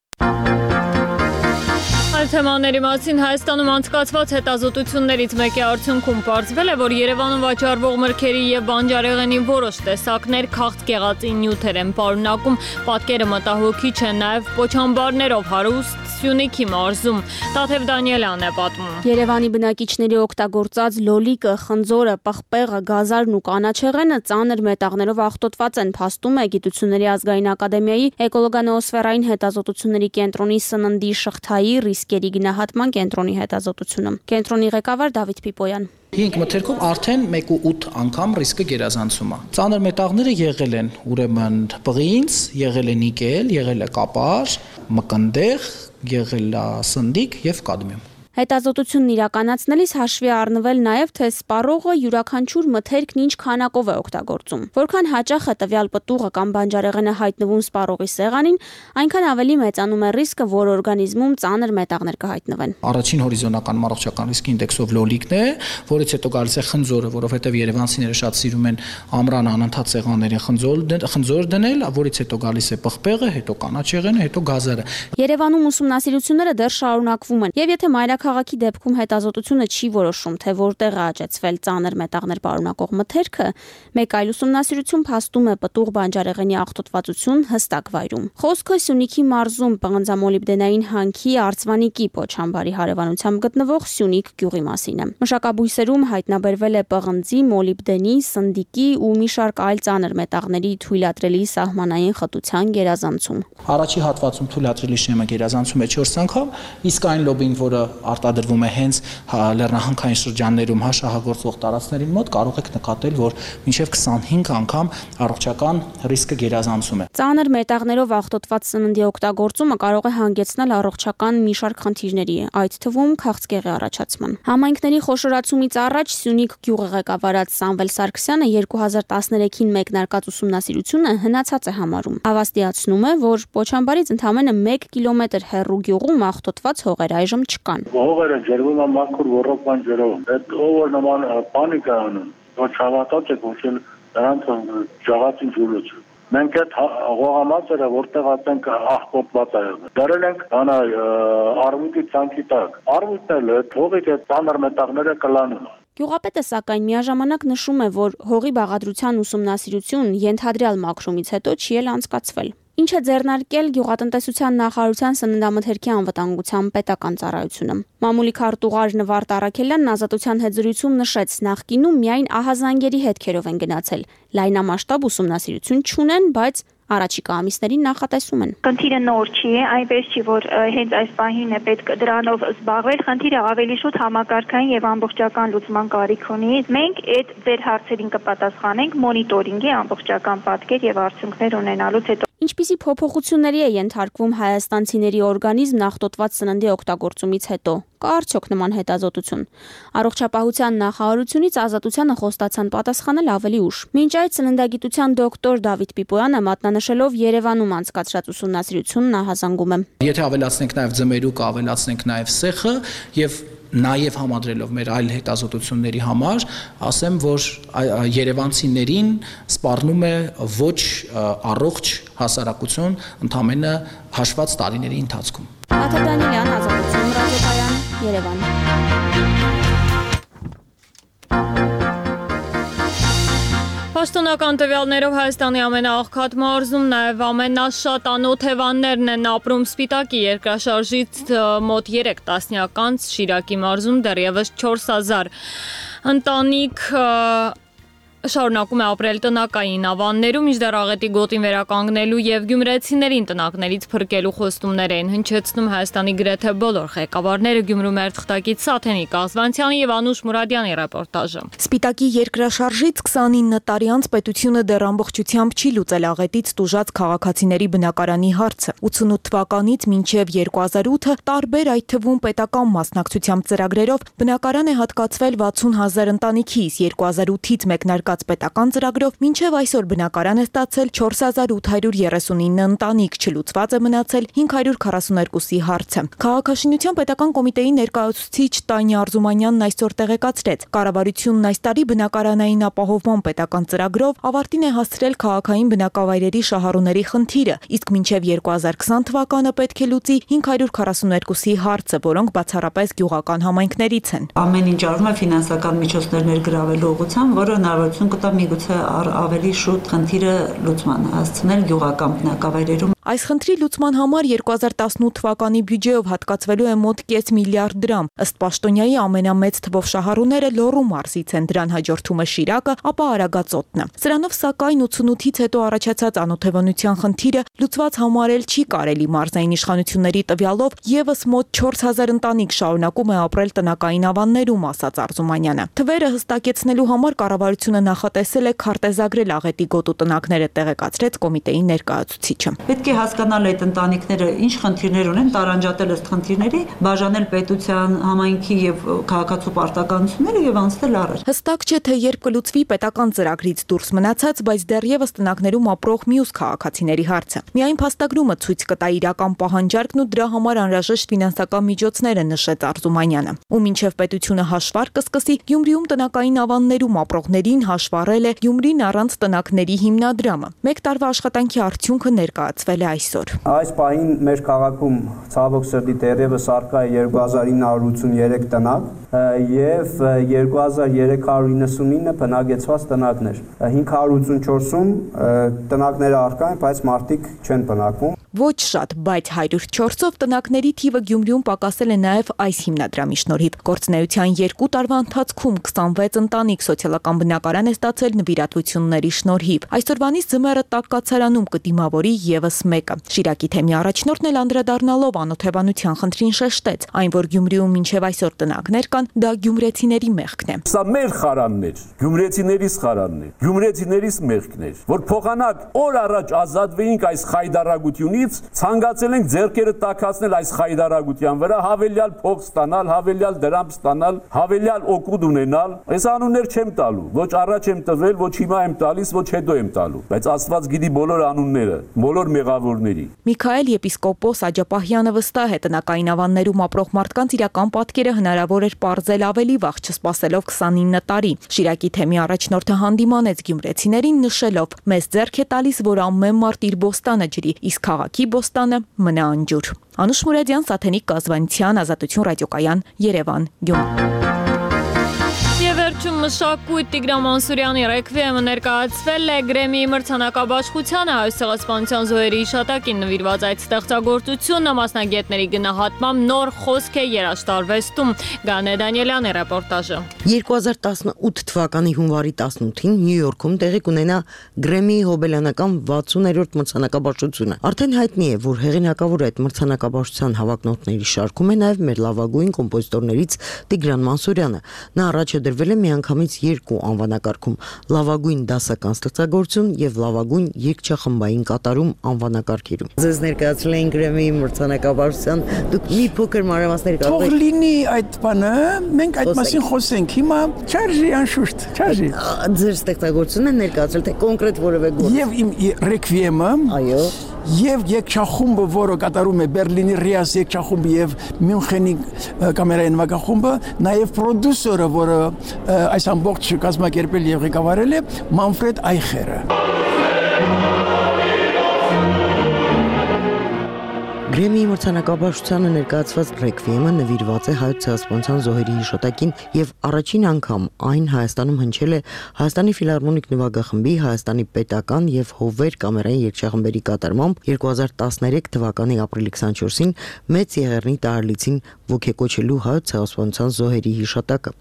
A: Այս թեմաների մասին Հայաստանում անցկացված հետազոտություններից մեկի արդյունքում պարզվել է, որ Երևանում վաճառվող մրգերի եւ բանջարեղենի որոշ տեսակներ քաղցկեղածի նյութեր են պարունակում, պատկերը մտահոգիչ են նաեւ պոչամբարներով հարուստ Սյունիքի մարզում։ Տաթև Դանիելյանն է պատմում։
G: Երևանի բնակիչների օգտագործած լոլիկը, խնձորը, պղպեղը, գազարն ու կանաչեղենը ծանր մետաղներով աղտոտված են, փաստում է Գիտությունների ազգային ակադեմիայի էկոլոգանոոսֆերային հետազոտությունների կենտրոնի սննդի շղթայի ռիսկերի գնահատման կենտրոնի հետազոտությունը։ Կենտրոնի ղեկավար Դավիթ Պիպոյան։
Q: 5 մթերքով արդեն 1.8 անգամ ռիսկը գերազանցում է։ Ծանր մետաղները եղել են ուրեմն պղինձ, եղել է նիկել, եղել է կապար, մկնդեղ, եղել է սնդիկ եւ կադմիում։
G: Հետազոտությունն իրականացնելիս հաշվի առնվել նաև, թե սպառողը յուրաքանչյուր մթերքն ինչ քանակով է օգտագործում։ Որքան հաճախ է տվյալ պտուղը կամ բանջարեղենը հայտնվում սպառողի սեղանին, այնքան ավելի մեծանում է ռիսկը, որ օրգանիզմում ծանր մետաղներ կհայտնվեն։
Q: Առաջին հորիզոնական առողջական ռիսկի ինդեքսով լոլիկն է, որից հետո գալիս է խնձորը, որովհետև երևանցիները շատ սիրում են ամռան անընդհատ սեղաններին խնձոր դնել, որից հետո գալիս է պղպեղը, հետո կանաչեղենը, հետո գազարը։
G: Երևանում ուսումնասիրությունները դեռ շարունակվում են, եւ եթե մայրաքաղաքի դեպքում հետազոտությունը չի որոշում, թե որտեղ է աճեցվել ծանր մետաղներ պարունակող մթերքը, մեկ այլ ուսումնասիրություն փաստում է պտուղ բանջարեղենի աղտոտվածություն հստակ վայրում։ Խոսքը Սյունիքի մարզում պղնձամոլիբդենային հանքի Արծվանիկի պոչամբարի հարևանությամբ գտնվող Սյունիք գյուղի մասին է։ Մշակաբույսերում հայտնաբերվել է պղնձի, մոլիբդենի, սնդիկի ու մի շարք այլ ծանր մետաղների թույլատրելի սահմանային խտության գերազանցում։
Q: Առաջի հատվածում թույլատրելի շեմը գերազանցում է 4 անգամ, իսկ այն լոբին, որը արտադրվում է հենց լեռնահանքային շրջաններում շահագործվող տարածքներին մոտ, կարող եք նկատել, որ մինչև 25 անգամ առողջական ռիսկը գերազանցում է։
G: Ծանր մետաղներով աղտոտված սննդի օգտագործումը կարող է հանգեցնել առողջական մի շարք խնդիրների, այդ թվում քաղցկեղի առաջացման։ Համայնքների խոշորացումից առաջ Սյունիք գյուղը ղեկավարած Սամվել Սարգսյանը 2013-ին մեկնարկած ուսումնասիրությունը հնացած է համարում։ Հավաստիացնում է, որ պոչամբարից ընդամենը 1 կիլոմետր հեռու գյուղում աղտոտված հողեր այժմ չկան։
H: Հողերը ջրվում են մաքուր ոռոգման ջրով։ Այդ ով նման բանի կա անում, որ չհավատաց եք ոչել նրանց ճաղացին ջուրոց։ Մենք այդ հողամասերը որտեղ ասենք աղտոտված է եղել։ Դրել ենք անա արմուտի ցանկի տակ։ Արմուտն էլ այդ հողից այդ ծանր մետաղները կլանում։
G: Գյուղապետը սակայն միաժամանակ նշում է, որ հողի բաղադրության ուսումնասիրություն ենթադրյալ մաքրումից հետո չի էլ անցկացվել։ Ինչ է ձեռնարկել Գյուղատնտեսության նախարարության սննդամթերքի անվտանգության պետական ծառայությունը։ Մամուլի քարտուղար Նվարդ Առաքելյանն Ազատության հետ զրույցում նշեց, նախկինում միայն ահազանգերի հետքերով են գնացել, լայնամասշտաբ ուսումնասիրություն չունեն, բայց առաջիկա ամիսներին նախատեսում են։
I: Խնդիրը նոր չի, այնպես չի, որ հենց այս պահին է պետք դրանով զբաղվել, խնդիրը ավելի շուտ համակարգային եւ ամբողջական լուծման կարիք ունի։ Մենք այդ ձեր հարցերին կպատասխանենք մոնիտորինգի ամբողջական պատկեր եւ արդյունքներ ունենալուց հետո։
G: Ինչպիսի փոփոխությունների է ենթարկվում հայաստանցիների օրգանիզմն աղտոտված սննդի օգտագործումից հետո։ Կա արդյոք նման հետազոտություն։ Առողջապահության նախարարությունից Ազատությանը խոստացան պատասխանել ավելի ուշ։ Մինչ այդ սննդագիտության դոկտոր Դավիթ Պիպոյանը մատնանշելով Երևանում անցկացրած ուսումնասիրությունն ահազանգում է։
Q: Եթե ավելացնենք նաև ձմերուկը, ավելացնենք նաև սեխը եւ նաև համադրելով մեր այլ հետազոտությունների համար, ասեմ, որ երևանցիներին սպառնում է ոչ առողջ հասարակություն ընդամենը հաշված տարիների ընթացքում։
G: Տաթև Դանիելյան, Ազատություն ռադիոկայան, Երևան։
A: Պաշտոնական տվյալներով Հայաստանի ամենաաղքատ մարզում նաև ամենաշատ անօթևաններն են ապրում Սպիտակի երկրաշարժից մոտ 3 տասնյակ անց Շիրակի մարզում դեռևս 4000 ընտանիք շարունակում է ապրել տնակային ավաններում, մինչդեռ աղետի գոտին վերականգնելու եւ գյումրեցիներին տնակներից փրկելու խոստումներ են հնչեցնում Հայաստանի գրեթե բոլոր ղեկավարները։ Գյումրու մեր թղթակից Սաթենիկ Աղզվանցյանի եւ Անուշ Մուրադյանի ռեպորտաժը։
M: Սպիտակի երկրաշարժից 29 տարի անց պետությունը դեռ ամբողջությամբ չի լուծել աղետից տուժած քաղաքացիների բնակարանի հարցը։ 88 թվականից մինչև 2008-ը տարբեր այդ թվում պետական մասնակցությամբ ծրագրերով բնակարան է հատկացվել 60,000 ընտանիքի, 2008-ից մեկնարկած ներկած պետական ծրագրով մինչև այսօր բնակարան է ստացել 4839 ընտանիք, չլուծված է մնացել 542-ի հարցը։ Քաղաքաշինության պետական կոմիտեի ներկայացուցիչ Տանյա Արզումանյանն այսօր տեղեկացրեց, կառավարությունն այս տարի բնակարանային ապահովման պետական ծրագրով ավարտին է հասցրել քաղաքային բնակավայրերի շահառուների խնդիրը, իսկ մինչև 2020 թվականը պետք է լուծի 542-ի հարցը, որոնք բացառապես գյուղական համայնքներից են։
N: Ամեն ինչ արվում է ֆինանսական միջոցներ ներգրավելու ուղղությամբ, որը հնարավորություն կտա միգուցե ավելի շուտ խնդիրը լուծման հասցնել գյուղական բնակավայրերում։
M: Այս խնդրի լուծման համար 2018 թվականի բյուջեով հատկացվելու է մոտ 0.5 միլիարդ դրամ։ Ըստ պաշտոնյայի ամենամեծ թվով շահառուները Լոռու մարզից են, դրան հաջորդում է Շիրակը, ապա Արագածոտնը։ Սրանով սակայն 88-ից հետո առաջացած անօթևանության խնդիրը լուծված համարել չի կարելի։ Մարզային իշխանությունների տվյալով եւս մոտ 4000 ընտանիք շարունակում է ապրել տնակային ավաններում, ասաց Արզումանյանը։ Թվերը հստակեցնելու համար կառավարությունը նախատեսել է քարտեզագրել աղետի գոտու տնակները, տեղեկացրեց կոմիտեի ներկայացուցիչը։
N: Պետք է հասկանալ այդ ընտանիքները ինչ խնդիրներ ունեն, տարանջատել ըստ խնդիրների, բաժանել պետության, համայնքի եւ քաղաքացու պարտականությունները եւ անցնել առաջ։
M: Հստակ չէ, թե երբ կլուծվի պետական ծրագրից դուրս մնացած, բայց դեռևս տնակներում ապրող մյուս քաղաքացիների հարցը։ Միայն փաստագրումը ցույց կտա իրական պահանջարկն ու դրա համար անհրաժեշտ ֆինանսական միջոցները, նշեց Արզումանյանը։ Ու մինչև պետությունը հաշվառ կսկսի, Գյումրիում տնակային ավաններում ապրողներին հաշվառել է Գյումրին առանց տնակների հիմնադրամը։ Մեկ տարվա աշխատանքի արդյունքը ներկայացվել է այսօր։
O: Այս պահին մեր քաղաքում ցավոք սրտի դեռևս առկա է 2983 տնակ եւ 2399 բնակեցված տնակներ։ 584-ում տնակները առկա են, բայց մարդիկ չեն բնակվում։
M: Ոչ շատ, բայց 104-ով տնակների թիվը Գյումրիում պակասել է նաև այս հիմնադրամի շնորհիվ։ Գործունեության 2 տարվա ընթացքում 26 ընտանիք սոցիալական բնակարան է ստացել նվիրատվությունների շնորհիվ։ Այսօրվանից ձմեռը տաք կացարանում կդիմավորի եւս մեկը։ Շիրակի թեմի առաջնորդն էլ անդրադառնալով անօթևանության խնդրին շեշտեց, այն որ Գյումրիում մինչև այսօր տնակներ կան, դա գյումրեցիների մեղքն է։
P: Սա մեր խարանն էր, գյումրեցիներիս խարանն էր, գյումրեցիներիս մեղքն էր, որ փոխանակ օր առաջ ազատվեինք այս խայդարագությունից, ցանկացել ենք ձեռքերը տաքացնել այս խայդարագության վրա, հավելյալ փող ստանալ, հավելյալ դրամ ստանալ, հավելյալ օգուտ ունենալ։ Այս անուններ չեմ տալու, ոչ առաջ եմ տվել, ոչ հիմա եմ տալիս, ոչ հետո եմ տալու, բայց Աստված գիտի բոլոր անունները, բոլոր մեղավորների։
M: Միքայել եպիսկոպոս Աջապահյանը վստահ է, տնակային ավաններում ապրող մարդկանց իրական պատկերը հնարավոր էր պարզել ավելի վաղ, չսպասելով 29 տարի։ Շիրակի թեմի առաջնորդը հանդիմանեց գյումրեցիներին, նշելով. «Մեզ ձեռք է տալիս, որ ամեն մարդ իր բոստանը ջրի, իսկ քաղաքի բոստանը մնա անջուր»։ Անուշ Մուրադյան, Սաթենիկ Կազվանցյան, Ազատություն ռադիոկայան, Երևան, Գյումրի։
A: Վերջում մշակույթ Տիգրան Մանսուրյանի ռեկվիեմը ներկայացվել է Գրեմիի մրցանակաբաշխությանը Հայաստանյան զոհերի հիշատակին նվիրված այդ ստեղծագործությունը մասնագետների գնահատմամբ նոր խոսք է երաժշտարվեստում։ Գանե Դանիելյանի ռեպորտաժը։
R: 2018 թվականի հունվարի 18-ին Նյու Յորքում տեղի կունենա Գրեմիի հոբելյանական 60-րդ մրցանակաբաշխությունը։ Արդեն հայտնի է, որ հեղինակավոր այդ մրցանակաբաշխության հավակնորդների շարքում է նաև մեր լավագույն կոմպոզիտորներից Տիգրան Մանսուրյանը։ Նա առաջ է դրվել է միանգամից 2 անվանակարգում՝ լավագույն դասական ստեղծագործություն եւ լավագույն երգչախմբային կատարում անվանակարգերում։ Ձեզ ներկայացրել են Գրեմիի մրցանակաբաշխության, դուք մի փոքր մանրամասներ կարող եք։
Y: Թող լինի այդ բանը, մենք այդ մասին խոսենք։ Հիմա չարժի անշուշտ, չարժի։
R: Ձեր ստեղծագործությունը ներկայացրել թե կոնկրետ որևէ գործ։
Y: Եվ իմ ռեկվիեմը, այո, եւ երգչախումբը, որը կատարում է Բերլինի Ռիաս երգչախումբը եւ Մյունխենի կամերային նվագախումբը, նաեւ պրոդյուսերը, որը այս ամբողջ կազմակերպել եւ ղեկավարել է Մանֆրեդ Այխերը։
R: Գրեմիի մրցանակաբաշխությանը ներկայացված ռեկվիեմը նվիրված է Հայոց ցեղասպանության զոհերի հիշատակին եւ առաջին անգամ այն Հայաստանում հնչել է Հայաստանի ֆիլհարմոնիկ նվագախմբի, Հայաստանի պետական եւ Հովեր կամերային երգչախմբերի կատարմամբ 2013 թվականի ապրիլի 24-ին Մեծ Եղեռնի տարելիցին ոգեկոչելու Հայոց ցեղասպանության զոհերի հիշատակը։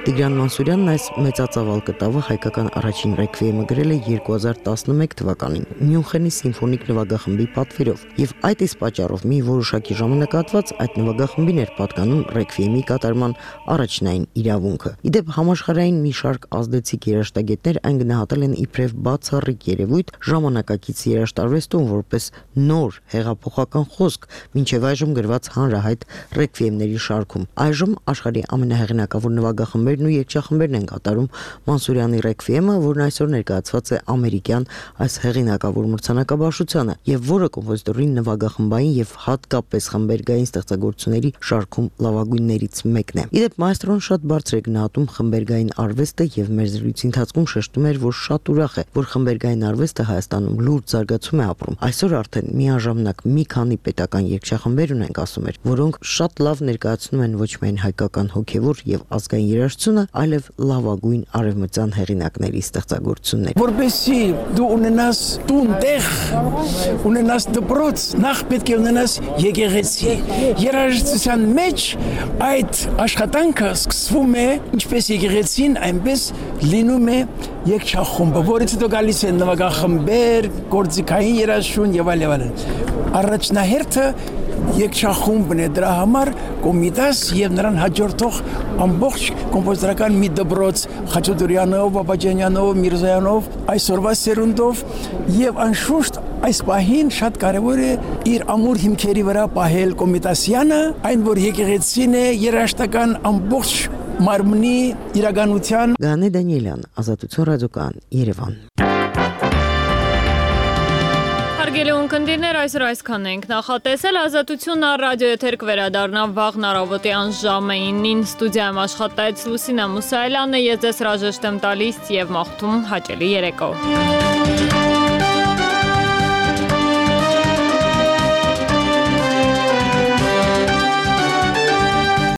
R: Տիգրան Մանսուրյանն այս մեծածավալ կտավը հայկական առաջին ռեկվիեմը գրել է 2011 թվականին Մյունխենի սիմֆոնիկ նվագախմբի պատվերով եւ այդ իսկ պատճառով մի որոշակի ժամանակահատված այդ նվագախմբին էր պատկանում ռեկվիեմի կատարման առաջնային իրավունքը։ Իդեպ համաշխարհային մի շարք ազդեցիկ երաժշտագետներ այն գնահատել են իբրև բացառիկ երևույթ ժամանակակից երաժշտարվեստում որպես նոր հեղափոխական խոսք մինչև այժմ գրված հանրահայտ ռեկվիեմների շարքում։ Այժմ աշխարհի ամենահեղինակավոր նվագախմբերն ու երգչախմբերն են կատարում Մանսուրյանի ռեկվիեմը, որն այսօր ներկայացված է ամերիկյան այս հեղինակավոր մրցանակաբաշխությանը եւ որը կոմպոզիտորի նվագախմբային եւ հատկապես խմբերգային ստեղծագործությունների շարքում լավագույններից մեկն է։ Իդեպ մայստրոն շատ բարձր է գնահատում խմբերգային արվեստը եւ մեր զրույցի ընթացքում շեշտում էր, որ շատ ուրախ է, որ խմբերգային արվեստը Հայաստանում լուրջ զարգացում է ապրում։ Այսօր արդեն միաժամանակ մի քանի պետական երգչախմբեր ունենք, ասում էր, որոնք շատ լավ ներկայացնում են ոչ միայն հայկական հոգևոր եւ ազգային երաժշտությունը, այլև լավագույն արևմտյան հեղինակների ստեղծագործություններ։
Y: Որպեսզի դու ունենաս տուն տեղ, ունենաս դպրոց, նախ պետք է ունենաս եկեղեցի։ Երաժշտության մեջ այդ աշխատանքը սկսվում է ինչպես եկեղեցին, այնպես լինում է երգչախումբը, որից հետո գալիս են նվագախմբեր, գործիքային երաժշտություն եւ այլն։ Առաջնահերթը երգչախումբն է, դրա համար կոմիտաս եւ նրան հաջորդող ամբողջ կոմպոզիտորական մի դպրոց Խաչատուրյանով, Բաբաջանյանով, Միրզայանով, այսօրվա սերունդով եւ անշուշտ այս պահին շատ կարեւոր է իր ամուր հիմքերի վրա պահել կոմիտասյանը, այն որ եկեղեցին է երաշտական ամբողջ մարմնի իրականության։
R: Գանե Դանիելյան, Ազատություն ռադիոկայան, Երևան։
A: Հարգելի ունկնդիրներ, այսօր այսքան ենք նախատեսել։ Ազատությունն ռադիո եթեր կվերադառնա վաղն առավոտյան ժամը 9-ին ստուդիայում աշխատեց Լուսինա Մուսայելյանը, ես ձեզ հրաժեշտ եմ տալիս եւ մաղթում հաճելի երեկո։